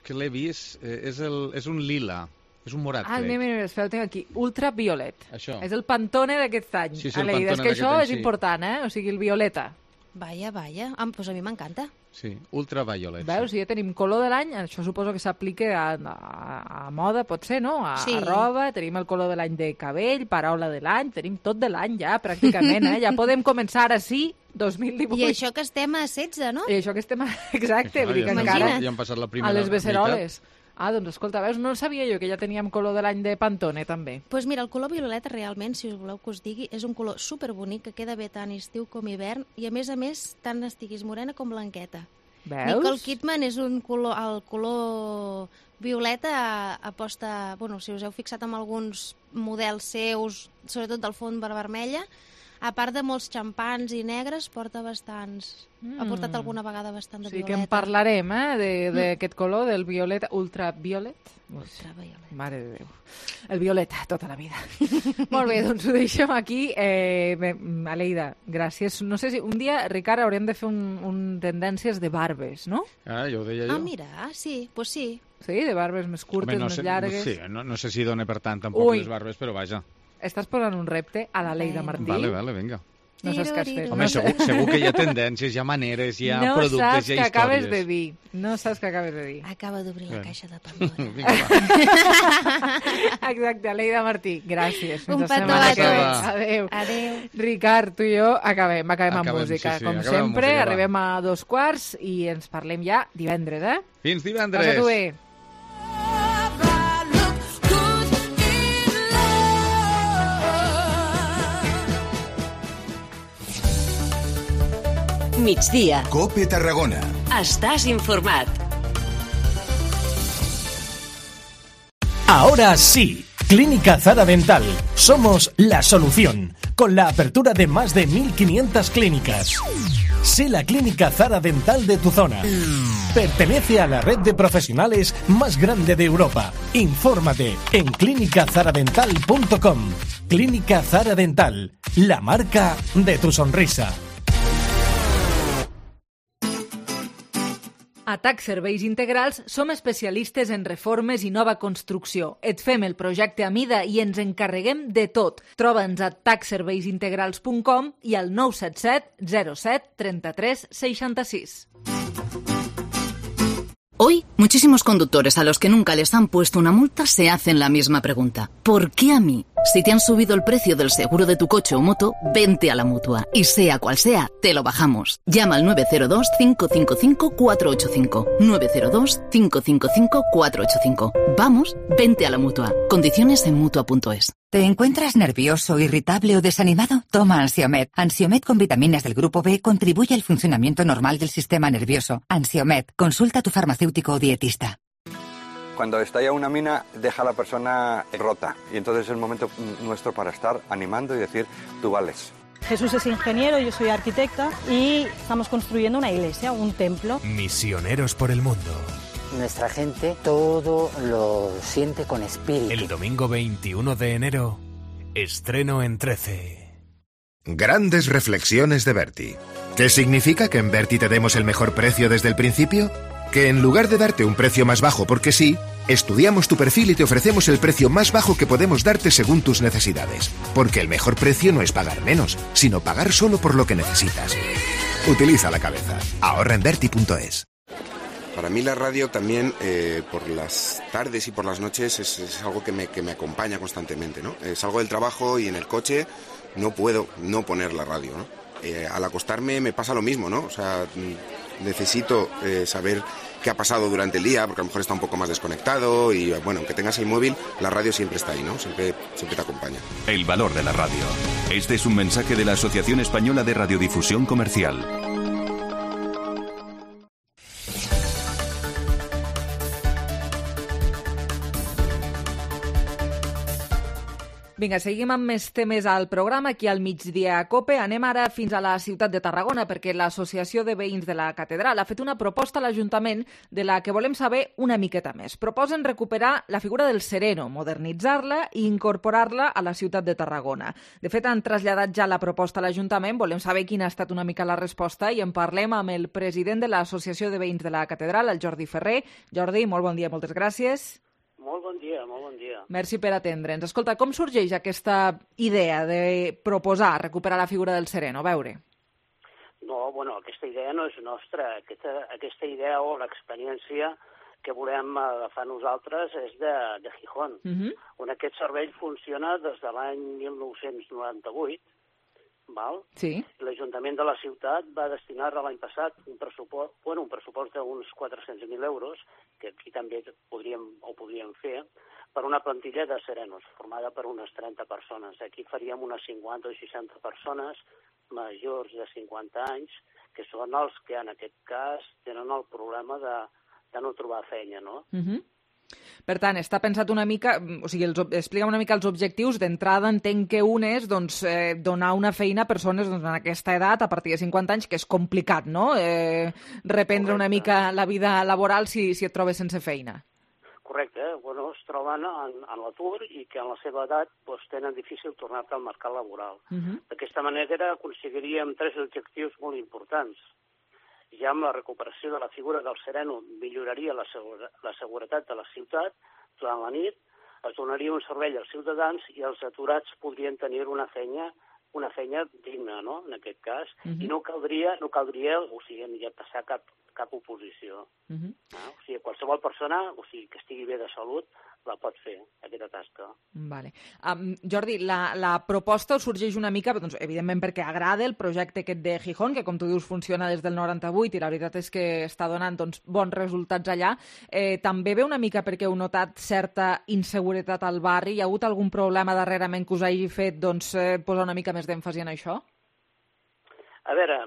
que l'he vist, és un lila, és un morat, crec. Mira, espera, el tinc aquí. Ultraviolet. Això. És el Pantone d'aquest any. Sí, el Pantone és que això és important, O sigui, el violeta. Vaja. Doncs a mi m'encanta. Sí, ultraviolet. Veus, si ja tenim color de l'any, això suposo que s'aplica a moda, pot ser, no? A roba, tenim el color de l'any de cabell, paraula de l'any, tenim tot de l'any ja, pràcticament, Ja podem començar ara sí, 2018. I això que estem a 16, no? I això que estem a... Exacte, vull dir que encara... Ja han passat la primera a les beceroles. Doncs escolta, veus, no sabia jo que ja teníem color de l'any de Pantone, també. Doncs mira, el color violeta realment, si us voleu que us digui, és un color superbonic que queda bé tant estiu com hivern i a més, tant estiguis morena com blanqueta. Veus? Nicole Kidman és el color violeta aposta... Bueno, si us heu fixat en alguns models seus, sobretot del fons vermella, a part de molts xampans i negres, porta bastants... Ha portat alguna vegada bastant de violeta. Sí, que en parlarem, d'aquest color, del violeta, ultraviolet. Ultraviolet. Mare de Déu. El violeta, tota la vida. Molt bé, doncs ho deixem aquí. Aleida, gràcies. No sé si un dia, Ricard, hauríem de fer un tendències de barbes, no? Jo ho deia jo. Mira, sí, doncs sí. Sí, de barbes més curtes, més llargues. Sí, no sé si dona per tant tampoc les barbes, però vaja. Estàs posant un repte a l'Aleida Martí. Vale, vinga. No saps què has fet. Home, segur que hi ha tendències, hi ha maneres, hi ha productes, hi ha històries. No saps què acabes de dir. No saps què acabes de dir. Acaba d'obrir la caixa de Pandora. Exacte, Aleida Martí, gràcies. Un petó a tots. Adéu. Ricard, tu i jo acabem amb música. Com sempre, arribem a 2:15 i ens parlem ja divendres, Fins divendres. Passa-t'ho bé. Migdia. COPE Tarragona. Estàs informat. Ahora sí, Clínica Zara Dental. Somos la solución, con la apertura de más de 1.500 clínicas. Sé la Clínica Zara Dental de tu zona. Pertenece a la red de profesionales más grande de Europa. Infórmate en clinicazaradental.com. Clínica Zara Dental, la marca de tu sonrisa. A TAC Serveis Integrals som especialistes en reformes i nova construcció. Et fem el projecte a mida i ens encarreguem de tot. Troba'ns a tacserveisintegrals.com i al 977 07 33 66. Hoy, muchísimos conductores a los que nunca les han puesto una multa se hacen la misma pregunta. ¿Por qué a mí? Si te han subido el precio del seguro de tu coche o moto, vente a la Mutua. Y sea cual sea, te lo bajamos. Llama al 902-555-485. 902-555-485. Vamos, vente a la Mutua. Condiciones en Mutua.es. ¿Te encuentras nervioso, irritable o desanimado? Toma Ansiomed. Ansiomed con vitaminas del grupo B contribuye al funcionamiento normal del sistema nervioso. Ansiomed. Consulta a tu farmacéutico o dietista. Cuando estalla una mina, deja a la persona rota. Y entonces es el momento nuestro para estar animando y decir, tú vales. Jesús es ingeniero, yo soy arquitecta y estamos construyendo una iglesia, un templo. Misioneros por el mundo. Nuestra gente todo lo siente con espíritu. El domingo 21 de enero, estreno en 13. Grandes reflexiones de Berti. ¿Qué significa que en Berti te demos el mejor precio desde el principio? Que en lugar de darte un precio más bajo porque sí, estudiamos tu perfil y te ofrecemos el precio más bajo que podemos darte según tus necesidades. Porque el mejor precio no es pagar menos, sino pagar solo por lo que necesitas. Utiliza la cabeza. Ahorra en Berti.es. Para mí la radio también, por las tardes y por las noches, es algo que me acompaña constantemente, ¿no? Salgo del trabajo y en el coche no puedo no poner la radio, ¿no? Al acostarme me pasa lo mismo, ¿no? O sea, necesito saber qué ha pasado durante el día, porque a lo mejor está un poco más desconectado y, bueno, aunque tengas el móvil, la radio siempre está ahí, ¿no? Siempre te acompaña. El valor de la radio. Este es un mensaje de la Asociación Española de Radiodifusión Comercial. Vinga, seguim amb més temes al programa. Aquí al Migdia a COPE anem ara fins a la ciutat de Tarragona perquè l'Associació de Veïns de la Catedral ha fet una proposta a l'Ajuntament de la que volem saber una miqueta més. Proposen recuperar la figura del sereno, modernitzar-la i incorporar-la a la ciutat de Tarragona. De fet, han traslladat ja la proposta a l'Ajuntament. Volem saber quina ha estat una mica la resposta i en parlem amb el president de l'Associació de Veïns de la Catedral, el Jordi Ferrer. Jordi, molt bon dia, moltes gràcies. Molt bon dia, molt bon dia. Merci per atendre'ns. Escolta, com sorgeix aquesta idea de proposar recuperar la figura del sereno? A veure. No, bueno, aquesta idea no és nostra. Aquesta idea o l'experiència que volem agafar nosaltres és de Gijón, on aquest servei funciona des de l'any 1998, val? Sí. L'Ajuntament de la ciutat va destinar l'any passat un pressupost d'uns 400.000 euros, que aquí també podríem fer, per una plantilla de serenos, formada per unes 30 persones. Aquí faríem unes 50 o 60 persones majors de 50 anys, que són els que en aquest cas tenen el problema de no trobar feina, no? Per tant, està pensat una mica, o sigui, explica una mica els objectius. D'entrada entenc que un és donar una feina a persones en aquesta edat, a partir de 50 anys, que és complicat, no? Reprendre una mica la vida laboral si et trobes sense feina. Correcte, bueno, es troben en l'atur i que en la seva edat tenen difícil tornar-te al mercat laboral. D'aquesta manera aconseguiríem 3 objectius molt importants. Ja amb la recuperació de la figura del sereno milloraria la seguretat de la ciutat durant la nit, es donaria un servei als ciutadans i els aturats podrien tenir una feina digna, no?, en aquest cas, i no caldria, o sigui, ni passar cap oposició. O sigui, qualsevol persona, o sigui, que estigui bé de salut, la pot fer, aquesta tasca. Vale. Jordi, la proposta sorgeix una mica, doncs, evidentment perquè agrada el projecte aquest de Gijón, que com tu dius funciona des del 98 i la veritat és que està donant bons resultats allà. També ve una mica perquè heu notat certa inseguretat al barri. Hi ha hagut algun problema darrerament que us hagi fet posar una mica més d'èmfasi en això? A veure,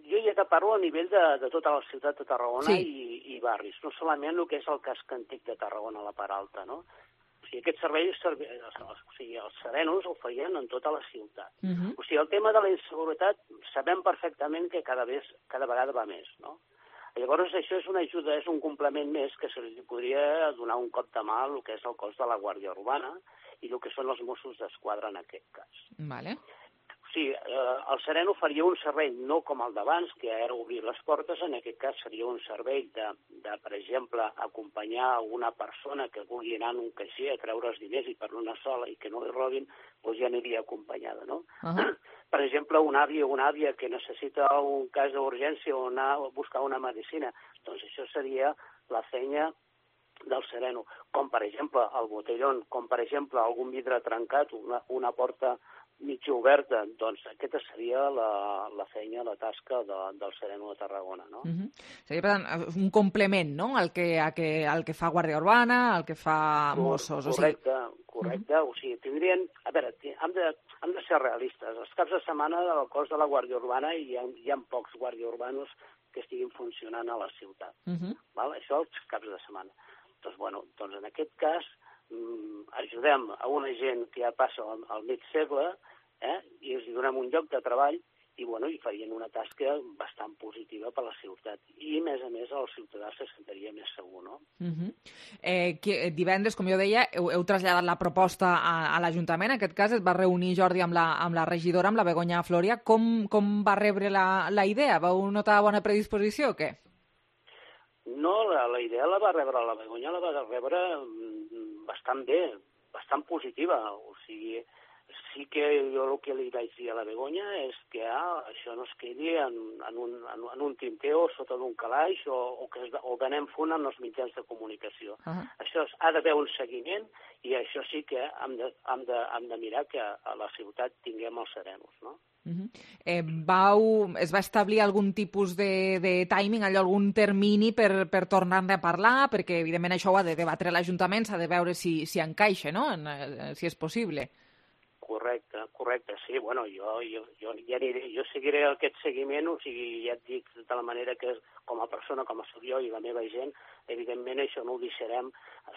jo ja te parlo a nivell de tota la ciutat de Tarragona i barris, no solament el que és el casc antic de Tarragona, la part alta, no? O sigui, aquest servei, els serenos el feien en tota la ciutat. O sigui, el tema de la inseguretat sabem perfectament que cada vegada va més, no? Llavors, això és una ajuda, és un complement més que se li podria donar un cop de mà al que és el cos de la Guàrdia Urbana i el que són els Mossos d'Esquadra en aquest cas. Vale. Sí, el sereno faria un servei no com el d'abans, que era obrir les portes. En aquest cas seria un servei de per exemple, acompanyar una persona que vulgui anar en un caixer a treure els diners i per una sola i que no li robin, doncs ja aniria acompanyada, no? Per exemple, un avi o una àvia que necessita un cas d'urgència o anar a buscar una medicina, doncs això seria la feina del sereno, com per exemple el botellón, com per exemple algun vidre trencat, una porta mitja oberta, doncs aquesta seria la feina, la tasca del sereno de Tarragona, no? Seria, per tant, un complement, no?, al que fa Guàrdia Urbana, al que fa Mossos. Correcte. O sigui, tindrien... A veure, hem de ser realistes. Els caps de setmana del cos de la Guàrdia Urbana hi ha pocs guàrdia urbanos que estiguin funcionant a la ciutat. Val? Això els caps de setmana. Doncs en aquest cas ajudem a una gent que ja passa al mig segle i els donem un lloc de treball i farien una tasca bastant positiva per a la ciutat. I, a més, el ciutadà se sentiria més segur, no? Divendres, com jo deia, heu traslladat la proposta a l'Ajuntament. En aquest cas es va reunir Jordi amb la regidora, amb la Begoña Floria. Com va rebre la idea? Vau notar bona predisposició o què? No, la idea la va rebre la Begoña, la va rebre bastant bé, bastant positiva. O sigui, sí que jo el que li vaig dir a la Begoña és que això no es quedi en un tinteo sota d'un calaix o d'anem font en els mitjans de comunicació. Això ha d'haver un seguiment i això sí que hem de mirar que a la ciutat tinguem els serenos, no? Es va establir algun tipus de timing, algun termini per tornar-ne a parlar, perquè evidentment això ho ha de debatre l'Ajuntament, s'ha de veure si encaixa, no?, si és possible. Correcte, sí, jo seguiré aquest seguiment, o sigui, ja et dic de la manera que com a persona, com a soc jo i la meva gent, evidentment això no ho deixarem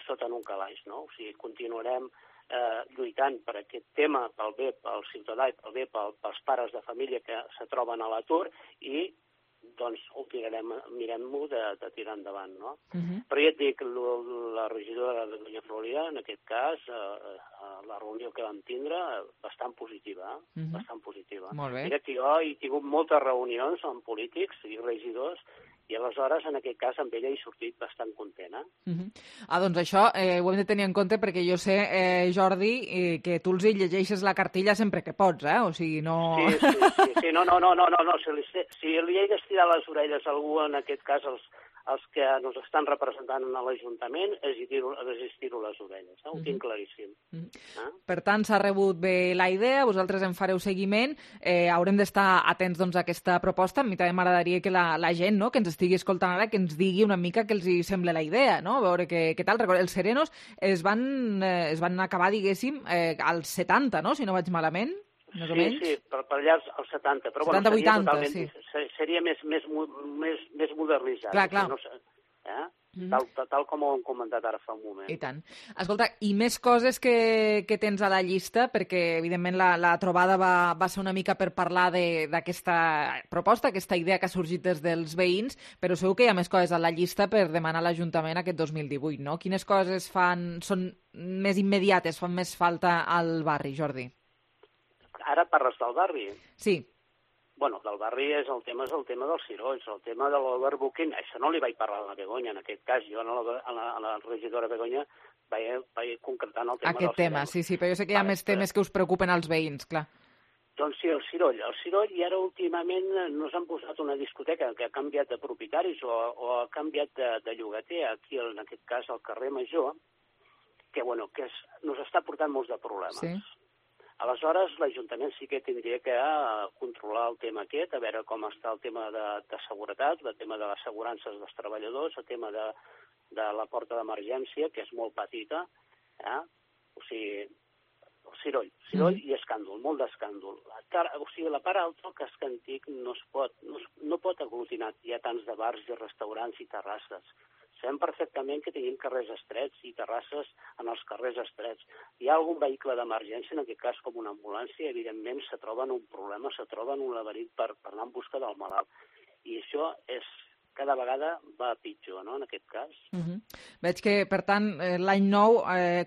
sota en un calaix, no? O sigui, continuarem lluitant per aquest tema, pel bé pel ciutadà i pel bé pels pares de família que se troben a l'atur i doncs mirem-ho de tirar endavant, no? Però ja et dic, la regidora de Begoña Floria, en aquest cas, la reunió que vam tindre, bastant positiva, bastant positiva. Molt bé. Mira que jo he tingut moltes reunions amb polítics i regidors i aleshores, en aquest cas, amb ella he sortit bastant content. Doncs això ho hem de tenir en compte perquè jo sé, Jordi, que tu els llegeixes la cartilla sempre que pots, o sigui, no... Sí, no, si li he d'estirar les orelles a algú, en aquest cas, els que ens estan representant a l'Ajuntament, els estiro les orelles, ho tinc claríssim. Per tant, s'ha rebut bé la idea, vosaltres en fareu seguiment, haurem d'estar atents a aquesta proposta. A mi també m'agradaria que la gent que ens estigui escoltant ara que ens digui una mica què els hi sembla la idea, no? A veure què tal. Els serenos es van acabar, diguéssim, als 70, no?, si no vaig malament. Sí, per allà als 70, però 70-80, sí. Seria més modernitzat. Clar. Tal com ho hem comentat ara fa un moment. I tant. Escolta, i més coses que tens a la llista, perquè evidentment la trobada va ser una mica per parlar d'aquesta proposta, aquesta idea que ha sorgit des dels veïns, però segur que hi ha més coses a la llista per demanar a l'Ajuntament aquest 2018, no? Quines coses són més immediates, fan més falta al barri, Jordi? Ara parles del barri? Sí. Del barri és el tema dels cirolls, el tema de l'overbooking. Això no li vaig parlar a la Begoña, en aquest cas. Jo a la regidora Begoña vaig concretant el tema aquest tema, sí, però jo sé que hi ha més temes que us preocupen als veïns, clar. Doncs sí, el ciroll, i ara últimament nos han posat una discoteca que ha canviat de propietaris o ha canviat de llogater, aquí en aquest cas al carrer Major, que nos està portant molts de problemes. Sí. Aleshores, l'Ajuntament sí que tindria que controlar el tema aquest, a veure com està el tema de seguretat, el tema de les assegurances dels treballadors, el tema de la porta d'emergència, que és molt petita, o sigui, ciroll i escàndol, molt d'escàndol. O sigui, la part alta, el casc antic, no pot aglutinar. Hi ha tants de bars i restaurants i terrasses. Sabem perfectament que tenim carrers estrets i terrasses en els carrers estrets. Hi ha algun vehicle d'emergència, en aquest cas com una ambulància, evidentment se troben un problema, se troben un laberint per anar en busca del malalt. I això cada vegada va a pitjor, no?, en aquest cas. Veig que, per tant, l'any nou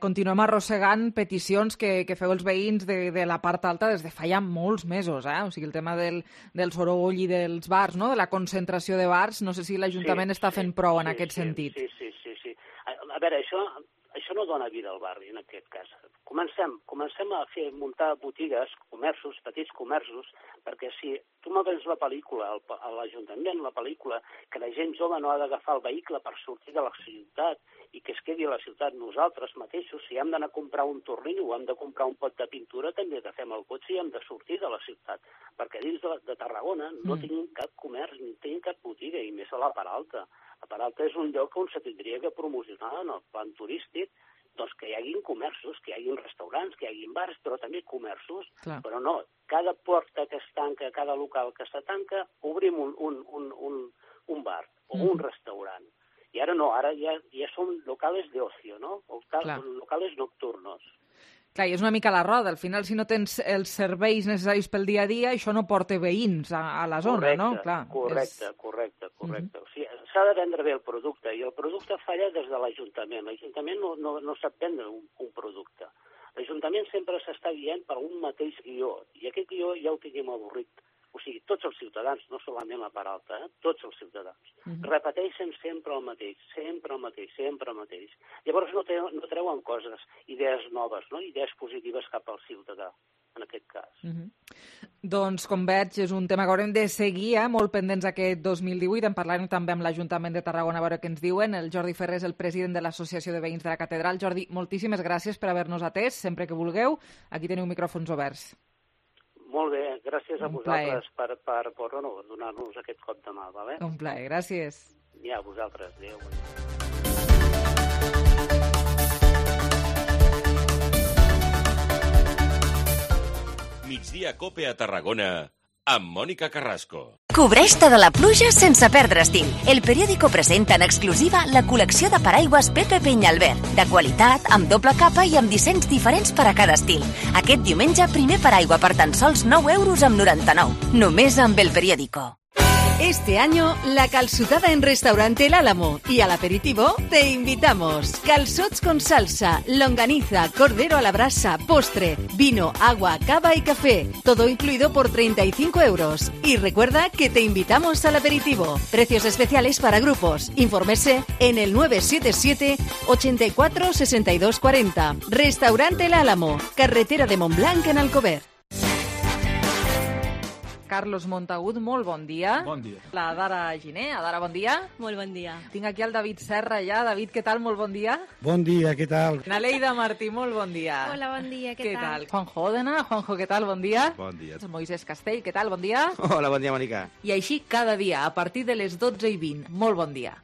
continuem arrossegant peticions que feu els veïns de la part alta des de fa ja molts mesos, O sigui, el tema del soroll i dels bars, no?, de la concentració de bars, no sé si l'Ajuntament està fent prou en aquest sentit. Sí. A veure, això no dona vida al barri, en aquest cas. comencem a muntar botigues, comerços, petits comerços, perquè si tu me vens la pel·lícula, a l'Ajuntament, la pel·lícula, que la gent jove no ha d'agafar el vehicle per sortir de la ciutat i que es quedi a la ciutat, nosaltres mateixos, si hem d'anar a comprar un tornillo o hem de comprar un pot de pintura, també agafem el cotxe i hem de sortir de la ciutat, perquè dins de Tarragona no tenim cap comerç, ni tenim cap botiga, i més a la Peralta. La Peralta és un lloc on se tindria que promocionar en el plan turístic, doncs que hi haguin comerços, que hi haguin restaurants, que hi haguin bars, però també comerços. Clar. Però no, cada porta que es tanca, cada local que se tanca, obrim un bar o un restaurant. I ara no, ara ja són locales de ocio, no? Locales nocturnos. Clar, i és una mica la roda. Al final, si no tens els serveis necessaris pel dia a dia, això no porta veïns a la zona, no? Correcte. O sigui, s'ha de vendre bé el producte, i el producte falla des de l'Ajuntament. L'Ajuntament no sap vendre un producte. L'Ajuntament sempre s'està guiant per un mateix guió, i aquest guió ja ho tenim avorrit. O sigui, tots els ciutadans, no solament la Peralta, tots els ciutadans, repeteixen sempre el mateix. Llavors no treuen coses, idees noves, no? Idees positives cap al ciutadà, en aquest cas. Doncs, com veig, és un tema que haurem de seguir, molt pendents aquest 2018. En parlarem també amb l'Ajuntament de Tarragona a veure què ens diuen. El Jordi Ferrer és el president de l'Associació de Veïns de la Catedral. Jordi, moltíssimes gràcies per haver-nos atès. Sempre que vulgueu, aquí teniu micròfons oberts. Molt bé, gràcies a vosaltres per donar-nos aquest cop de mà, vale? Un plaer, gràcies. Ja, a vosaltres, adéu. Migdia Cope a Tarragona, amb Mònica Carrasco. Cobreix-te de la pluja sense perdre estil. El periòdico presenta en exclusiva la col·lecció de paraigües Pepe Peñalver, de qualitat, amb doble capa i amb dissenys diferents per a cada estil. Aquest diumenge, primer paraigua per tan sols 9,99 €. Només amb el periòdico. Este año, la calçotada en Restaurante El Álamo y al aperitivo te invitamos. Calçots con salsa, longaniza, cordero a la brasa, postre, vino, agua, cava y café. Todo incluido por 35 €. Y recuerda que te invitamos al aperitivo. Precios especiales para grupos. Infórmese en el 977 84 62 40. Restaurante El Álamo, carretera de Montblanc en Alcover. Carlos Montagut, molt bon dia. Bon dia. La Dara Giner. Dara, bon dia. Molt bon dia. Tinc aquí el David Serra ja. David, què tal? Molt bon dia. Bon dia, què tal? Naleida Martí, molt bon dia. Hola, bon dia, què tal? Juanjo Òdena. Juanjo, què tal? Bon dia. Bon dia. Moisés Castell, què tal? Bon dia. Hola, bon dia, Mònica. I així cada dia, a partir de les 12:20. Molt bon dia.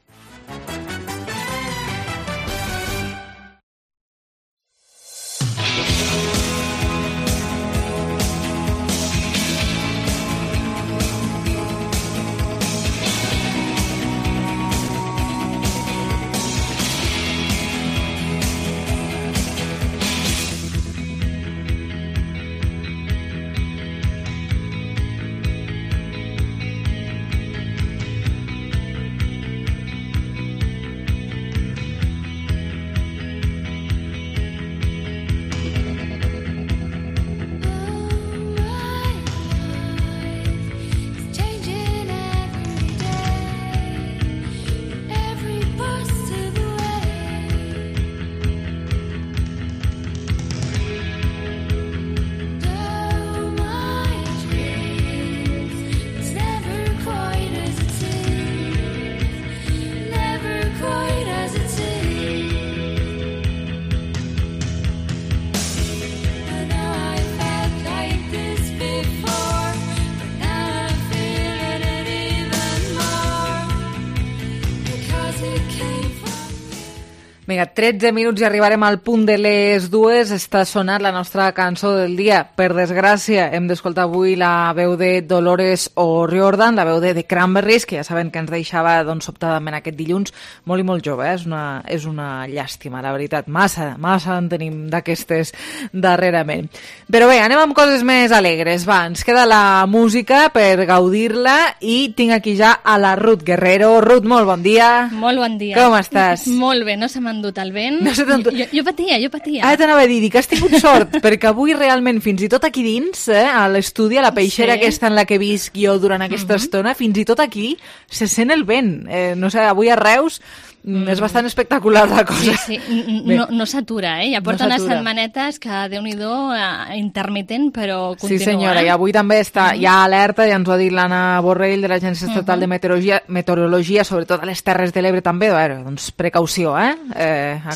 Vinga, 13 minuts i arribarem al punt de les 2. Està sonant la nostra cançó del dia. Per desgràcia, hem d'escoltar avui la veu de Dolores O'Riordan, la veu de The Cranberries, que ja saben que ens deixava sobtadament aquest dilluns, molt i molt jove. És una llàstima, la veritat. Massa en tenim d'aquestes darrerament. Però bé, anem amb coses més alegres. Va, ens queda la música per gaudir-la i tinc aquí ja a la Ruth Guerrero. Ruth, molt bon dia. Molt bon dia. Com estàs? Molt bé, no se m'ha endut el vent. No se t'ha endut... Jo patia. Ara t'anava a dir que has tingut sort, perquè avui realment, fins i tot aquí dins, a l'estudi, a la peixera aquesta en la que visc jo durant aquesta estona, fins i tot aquí se sent el vent. No sé, avui a Reus És bastant espectacular la cosa. Sí, no s'atura, Ja porta unes setmanetes que, Déu-n'hi-do, intermitent, però continua. Sí, senyora, i avui també hi ha alerta, ja ens ho ha dit l'Anna Borrell, de l'Agència Estatal de Meteorologia, sobretot a les Terres de l'Ebre també, doncs precaució, a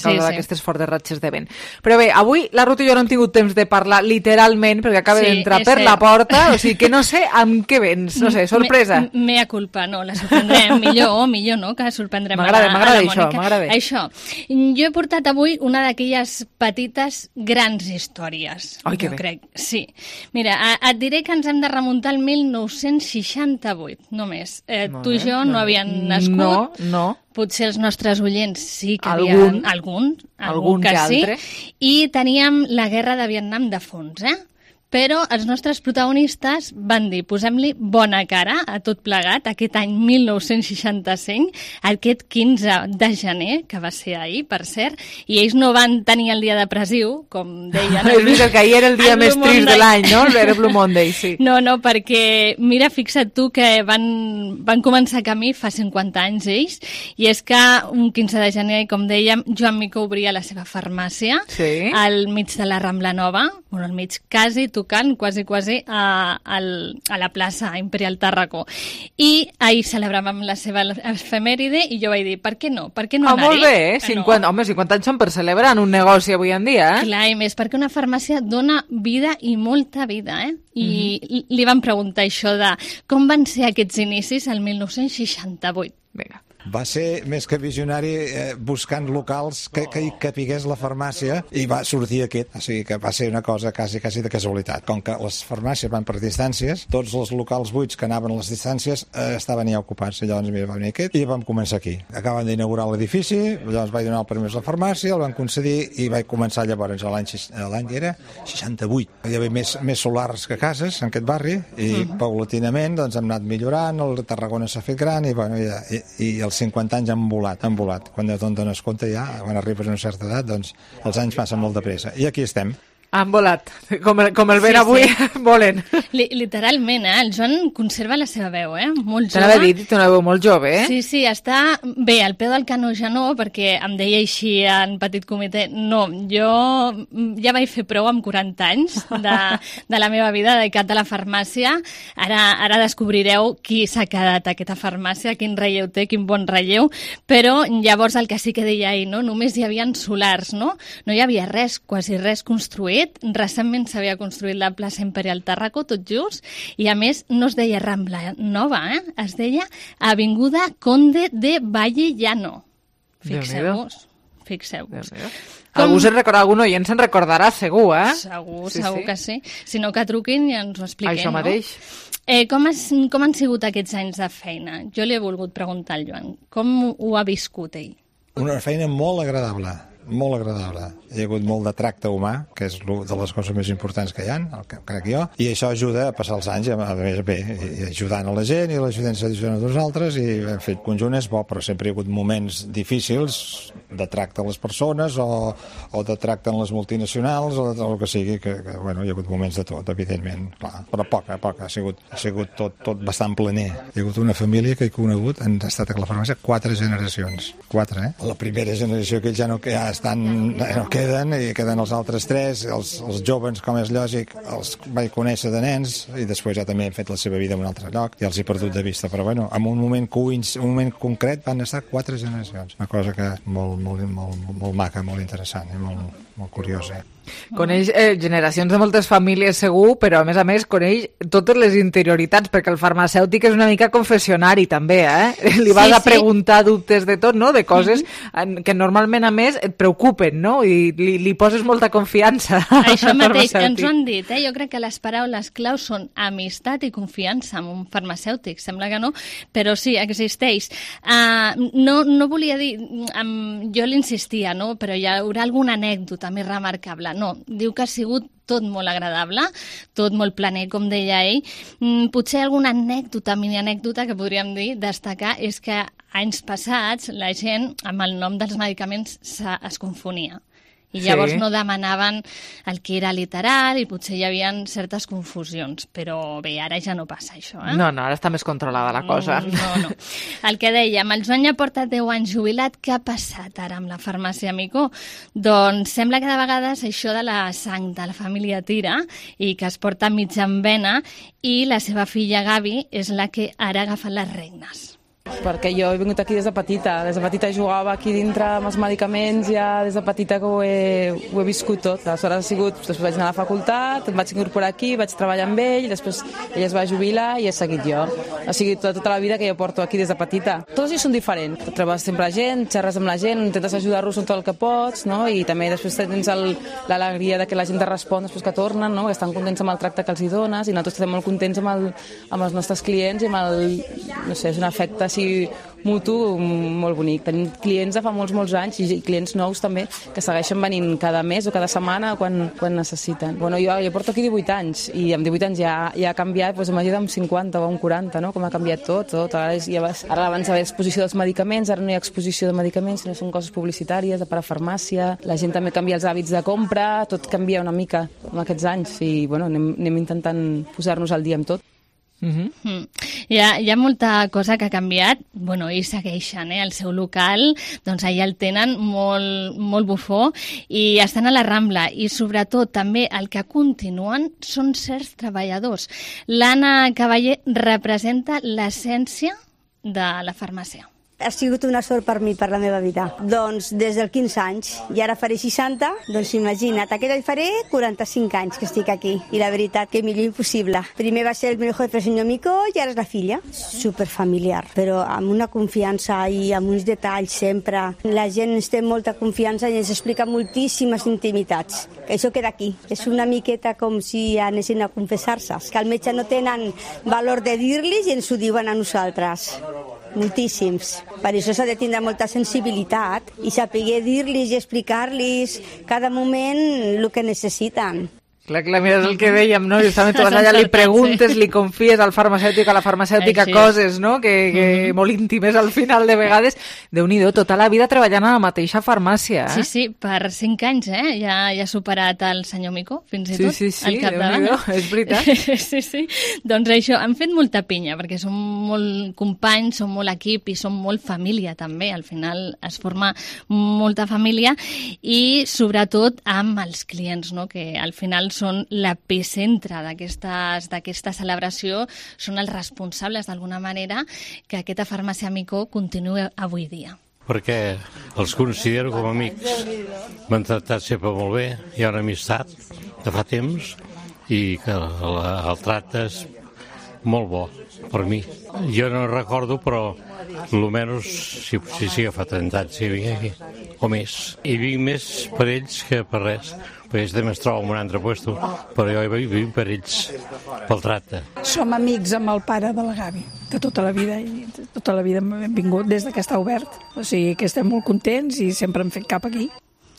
causa d'aquestes fortes ratxes de vent. Però bé, avui la Ruth i jo no hem tingut temps de parlar literalment, perquè acaba d'entrar per la porta, o sigui que no sé amb què vens, no sé, sorpresa. Mea culpa, no, la sorprendrem, millor, no?, que sorprendrem m'agrada això. Jo he portat avui una d'aquelles petites grans històries. Ai, que bé. Crec. Sí. Mira, et diré que ens hem de remuntar al 1968, només. Tu i jo no havíem nascut. No. Potser els nostres oients sí que havien... Algun que sí. I teníem la guerra de Vietnam de fons, Però els nostres protagonistes van dir, posem-li bona cara a tot plegat, aquest any 1965, aquest 15 de gener, que va ser ahir, per cert, i ells no van tenir el dia depressiu, com deien. És veritat que ahir era el dia més trist de l'any, no? Era Blue Monday, sí. No, perquè, mira, fixa't tu que van començar camí fa 50 anys ells, i és que un 15 de gener, com dèiem, Joan Micó obria la seva farmàcia al mig de la Rambla Nova, al mig quasi, tocant quasi a la plaça Imperial Tàrraco. I ahir celebràvem la seva efemèride i jo vaig dir, per què no? Per què no anar-hi? Molt bé, 50 anys són per celebrar en un negoci avui en dia, Clar, i més, perquè una farmàcia dona vida i molta vida, I li van preguntar això de com van ser aquests inicis el 1968. Vinga. Va ser més que visionari buscant locals que capigués la farmàcia i va sortir aquest, o sigui que va ser una cosa quasi de casualitat. Com que les farmàcies van per distàncies, tots els locals buits que anaven a les distàncies estaven ja ocupats, i llavors va venir aquest i vam començar aquí. Acaben d'inaugurar l'edifici, llavors vaig donar el permís a la farmàcia, el van concedir i vaig començar llavors l'any era 68. Hi havia més solars que cases en aquest barri i paulatinament doncs, hem anat millorant, el Tarragona s'ha fet gran i els 50 anys han volat. Quan te'n dones compte ja, quan arribes a una certa edat, doncs els anys passen molt de pressa. I aquí estem. Han volat, com el vent avui, volen. Literalment, el Joan conserva la seva veu, molt jove. Te n'havia dit, una veu molt jove, Sí, està bé, al peu del canó ja no, perquè em deia així en petit comitè, no, jo ja vaig fer prou amb 40 anys de la meva vida dedicat a la farmàcia, ara descobrireu qui s'ha quedat a aquesta farmàcia, quin relleu té, quin bon relleu, però llavors el que sí que deia ahir, només hi havia solars, no hi havia res, quasi res construït. Recentment s'havia construït la plaça Imperial Tàrraco, tot just, i a més no es deia Rambla Nova, es deia Avinguda Conde de Valle Llano. Fixeu-vos. Algun oient se'n recordarà, segur, Segur que sí. Si no, que truquin i ens ho expliquem, Això mateix. Com han sigut aquests anys de feina? Jo li he volgut preguntar al Joan. Com ho ha viscut ell? Una feina molt agradable. Molt agradable. Hi ha hagut molt de tracte humà, que és una de les coses més importants que hi ha, crec jo, i això ajuda a passar els anys, a més bé, i ajudant a la gent, i l'ajudant s'ajuda a nosaltres, i en fet, conjunt és bo, però sempre hi ha hagut moments difícils de tracte a les persones, o de tracte en les multinacionals, o el que sigui, que hi ha hagut moments de tot, evidentment, clar, però poc, ha sigut tot bastant planer. Hi ha hagut una família que he conegut, han estat a la farmàcia 4 generacions. 4, La primera generació que ells ja no queden, i queden els altres 3, els joves, com és lògic, els vaig conèixer de nens, i després ja també han fet la seva vida en un altre lloc, i els he perdut de vista, però en un moment concret van estar 4 generacions, una cosa que molt maca, molt interessant, i molt curiosa. Coneix generacions de moltes famílies segur, però a més coneix totes les interioritats, perquè el farmacèutic és una mica confessionari també, Li vas a preguntar dubtes de tot, no? De coses que normalment a més et preocupen, no? I li poses molta confiança. Això mateix, ens ho han dit, Jo crec que les paraules claus són amistat i confiança amb un farmacèutic, sembla que no, però sí, existeix. No volia dir, jo l'insistia, no? Però hi haurà alguna anècdota més remarcable. No, diu que ha sigut tot molt agradable, tot molt planer, com deia ell. Potser alguna anècdota, mini-anècdota que podríem dir, destacar, és que anys passats la gent amb el nom dels medicaments es confonia. I llavors no demanaven el que era literal i potser hi havia certes confusions. Però bé, ara ja no passa això, No, ara està més controlada la cosa. No. El que dèiem, el Joan ja porta 10 anys jubilat. Què ha passat ara amb la farmàcia Amico? Doncs sembla que de vegades això de la sang de la família tira i que es porta mitja en vena, i la seva filla Gavi és la que ara agafa les regnes. Perquè jo he vingut aquí des de petita. Des de petita jugava aquí dintre amb els medicaments, ja des de petita que ho he viscut tot. Aleshores després vaig anar a la facultat, em vaig incorporar aquí, vaig treballar amb ell, després ell es va jubilar i he seguit jo. O sigui, tota la vida que jo porto aquí des de petita. Tots ells són diferents. Trobes sempre gent, xerres amb la gent, intentes ajudar-los en tot el que pots, no? I també després tens l'alegria de que la gent te respon després que tornen, no? Que estan contents amb el tracte que els hi dones, i nosaltres estem molt contents amb els nostres clients i amb no sé, és un afecte així mutu molt bonic. Tenim clients de fa molts anys i clients nous també que segueixen venint cada mes o cada setmana quan necessiten. Bueno, jo porto aquí 18 anys i amb 18 anys ja ha canviat, doncs imagina't amb 50 o amb 40, no? Com ha canviat tot. Ara abans hi havia exposició dels medicaments, ara no hi ha exposició de medicaments, sinó són coses publicitàries, de parafarmàcia, la gent també canvia els hàbits de compra, tot canvia una mica en aquests anys i bueno, anem intentant posar-nos al dia amb tot. Hi ha molta cosa que ha canviat, bueno, i segueixen, el seu local, doncs allà el tenen molt bufó i estan a la Rambla, i sobretot també el que continuen són certs treballadors. L'Anna Cavaller representa l'essència de la farmàcia. Ha sigut una sort per mi, per la meva vida. Doncs des dels 15 anys, i ara faré 60, doncs imagina't, aquest any faré 45 anys que estic aquí, i la veritat que millor impossible. Primer va ser el meu jefe, el senyor Mico, i ara és la filla. Superfamiliar, però amb una confiança i amb uns detalls sempre. La gent ens té molta confiança i ens explica moltíssimes intimitats. Això queda aquí. És una miqueta com si anessin a confessar-se, que al metge no tenen valor de dir-los i ens ho diuen a nosaltres. Moltíssims. Per això s'ha de tindre molta sensibilitat i saber dir-los i explicar-los cada moment el que necessiten. Clar, mira, és el que dèiem, no? Justament tu vas allà, li preguntes, li confies al farmacèutic, a la farmacèutica coses, no? Que molt íntimes al final de vegades. Déu-n'hi-do, tota la vida treballant a la mateixa farmàcia, Sí, per 5 anys, ja ha superat el senyor Mico, fins i tot, al capdavant. És veritat. Sí. Doncs això, han fet molta pinya, perquè som molt companys, som molt equip i som molt família, també. Al final es forma molta família i, sobretot, amb els clients, no? Que al final són l'epicentre d'aquesta celebració, són els responsables d'alguna manera que aquesta farmàcia Amico continuï avui dia. Perquè els considero com amics. M'han tractat sempre molt bé, hi ha una amistat de fa temps i que el tracte és molt bo per mi. Jo no recordo, però almenys sí que fa 30 anys que vinc aquí, o més. I vinc més per ells que per res. Perquè ells també es troben en un altre lloc, però jo hi vinc per ells, pel tracte. Som amics amb el pare de la Gavi, de tota la vida, i tota la vida hem vingut des que està obert. O sigui que estem molt contents i sempre hem fet cap aquí.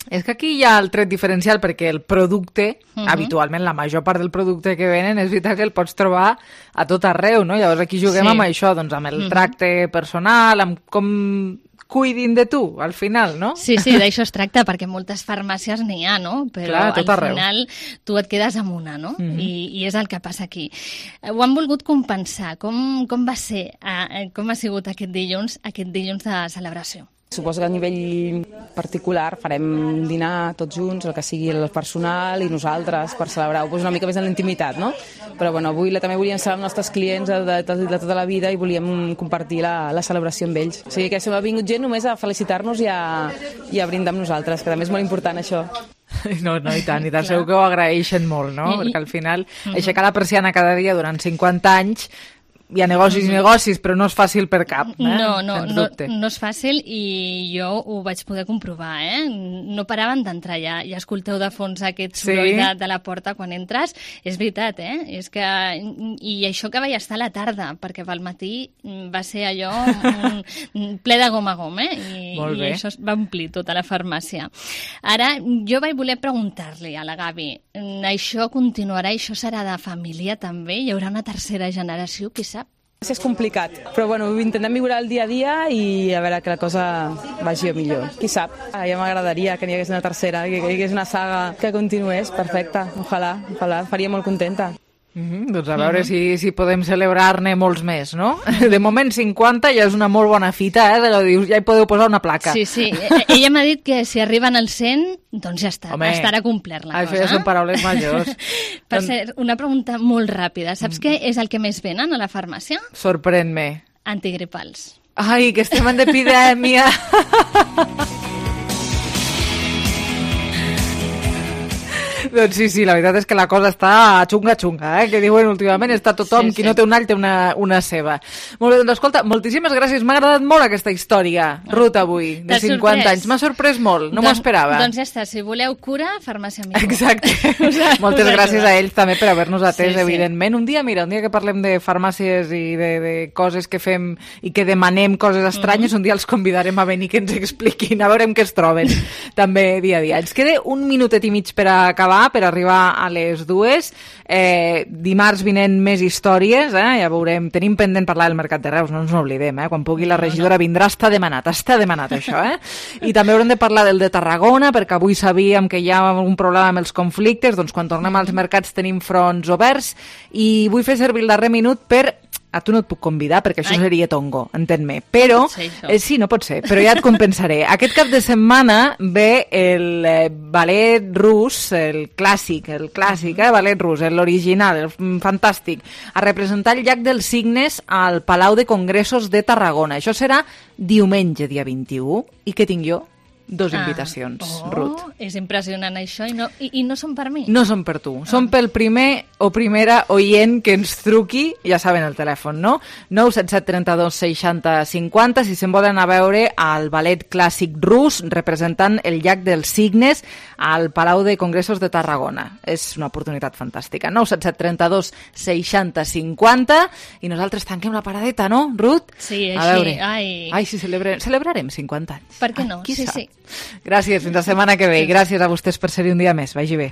És que aquí hi ha el tret diferencial, perquè el producte, habitualment la major part del producte que venen, és veritat que el pots trobar a tot arreu, no? Llavors aquí juguem amb això, doncs amb el tracte personal, amb com cuidin de tu, al final, no? Sí, d'això es tracta, perquè moltes farmàcies n'hi ha, no? Però al final tu et quedes amb una, no? I és el que passa aquí. Ho han volgut compensar. Com va ser, com ha sigut aquest dilluns de celebració? Suposo que a nivell particular farem dinar tots junts, el que sigui el personal i nosaltres, per celebrar-ho una mica més en l'intimitat, no? Però bueno, avui també volíem ser els nostres clients de tota la vida i volíem compartir la celebració amb ells. O sigui que hem vingut gent només a felicitar-nos i a brindar amb nosaltres, que també és molt important això. No, i tant, segur que ho agraeixen molt, no? Perquè al final aixecar la persiana cada dia durant 50 anys hi ha negocis i negocis, però no és fàcil per cap. No és fàcil, i jo ho vaig poder comprovar. No paraven d'entrar ja. Ja escolteu de fons aquest soroll de la porta quan entres. És veritat, és que... I això que vaig estar a la tarda, perquè pel matí va ser allò ple de gom a gom, i això va omplir tota la farmàcia. Ara, jo vaig voler preguntar-li a la Gavi, això continuarà, això serà de família també? Hi haurà una tercera generació, qui sap? És complicat, però bueno, intentem viure el dia a dia i a veure que la cosa vagi millor. Qui sap? Ja m'agradaria que n'hi hagués una tercera, que hi hagués una saga que continués, perfecte. Ojalà, faria molt contenta. Doncs a veure si podem celebrar-ne molts més, no? De moment 50 ja és una molt bona fita, dius, ja hi podeu posar una placa. Sí, ella m'ha dit que si arriben al 100, doncs ja està, estarà complert la cosa. Això ja són paraules majors. Per cert, una pregunta molt ràpida. Saps què és el que més venen a la farmàcia? Sorprèn-me. Antigripals. Ai, que estem en epidèmia! Doncs sí, la veritat és que la cosa està xunga, que diuen últimament, està tothom, qui no té un all té una ceba. Molt bé, doncs escolta, moltíssimes gràcies, m'ha agradat molt aquesta història, Ruth, avui, de 50 anys. M'ha sorprès molt, no m'ho esperava. Doncs ja està, si voleu cura, farmàcia Amigo. Exacte. Moltes gràcies a ells també per haver-nos atès, evidentment. Un dia que parlem de farmàcies i de coses que fem i que demanem coses estranyes, un dia els convidarem a venir que ens expliquin, a veure què es troben, també dia a dia. Ens queda un minutet i mig per acabar, per arribar a les 2. Dimarts vinent més històries, ja veurem. Tenim pendent parlar del Mercat de Reus, no ens n'oblidem, quan pugui la regidora vindrà, està demanat això, I també haurem de parlar del de Tarragona, perquè avui sabíem que hi ha un problema amb els conflictes, doncs quan tornem als mercats tenim fronts oberts, i vull fer servir el darrer minut per... A tu no et puc convidar perquè això seria tongo, entén-me. Però, sí, no pot ser, però ja et compensaré. Aquest cap de setmana ve el ballet rus, el clàssic, ballet rus, l'original, el fantàstic, a representar el Llac dels Cignes al Palau de Congressos de Tarragona. Això serà diumenge, dia 21. I què tinc jo? 2 invitacions, Ruth. És impressionant això, i no són per mi. No són per tu, són pel primer o primera oient que ens truqui, ja saben el telèfon, no? 977 32 60 50, si se'n volen anar a veure al ballet clàssic rus representant el Llac dels Cignes al Palau de Congressos de Tarragona. És una oportunitat fantàstica. 977 32 60 50, i nosaltres tanquem la paradeta, no, Ruth? Sí, així. Ai, sí, celebrarem 50 anys. Per què no? Sí. Gràcies, fins la setmana que ve. Gràcies a vostès per ser-hi un dia més. Vagi bé.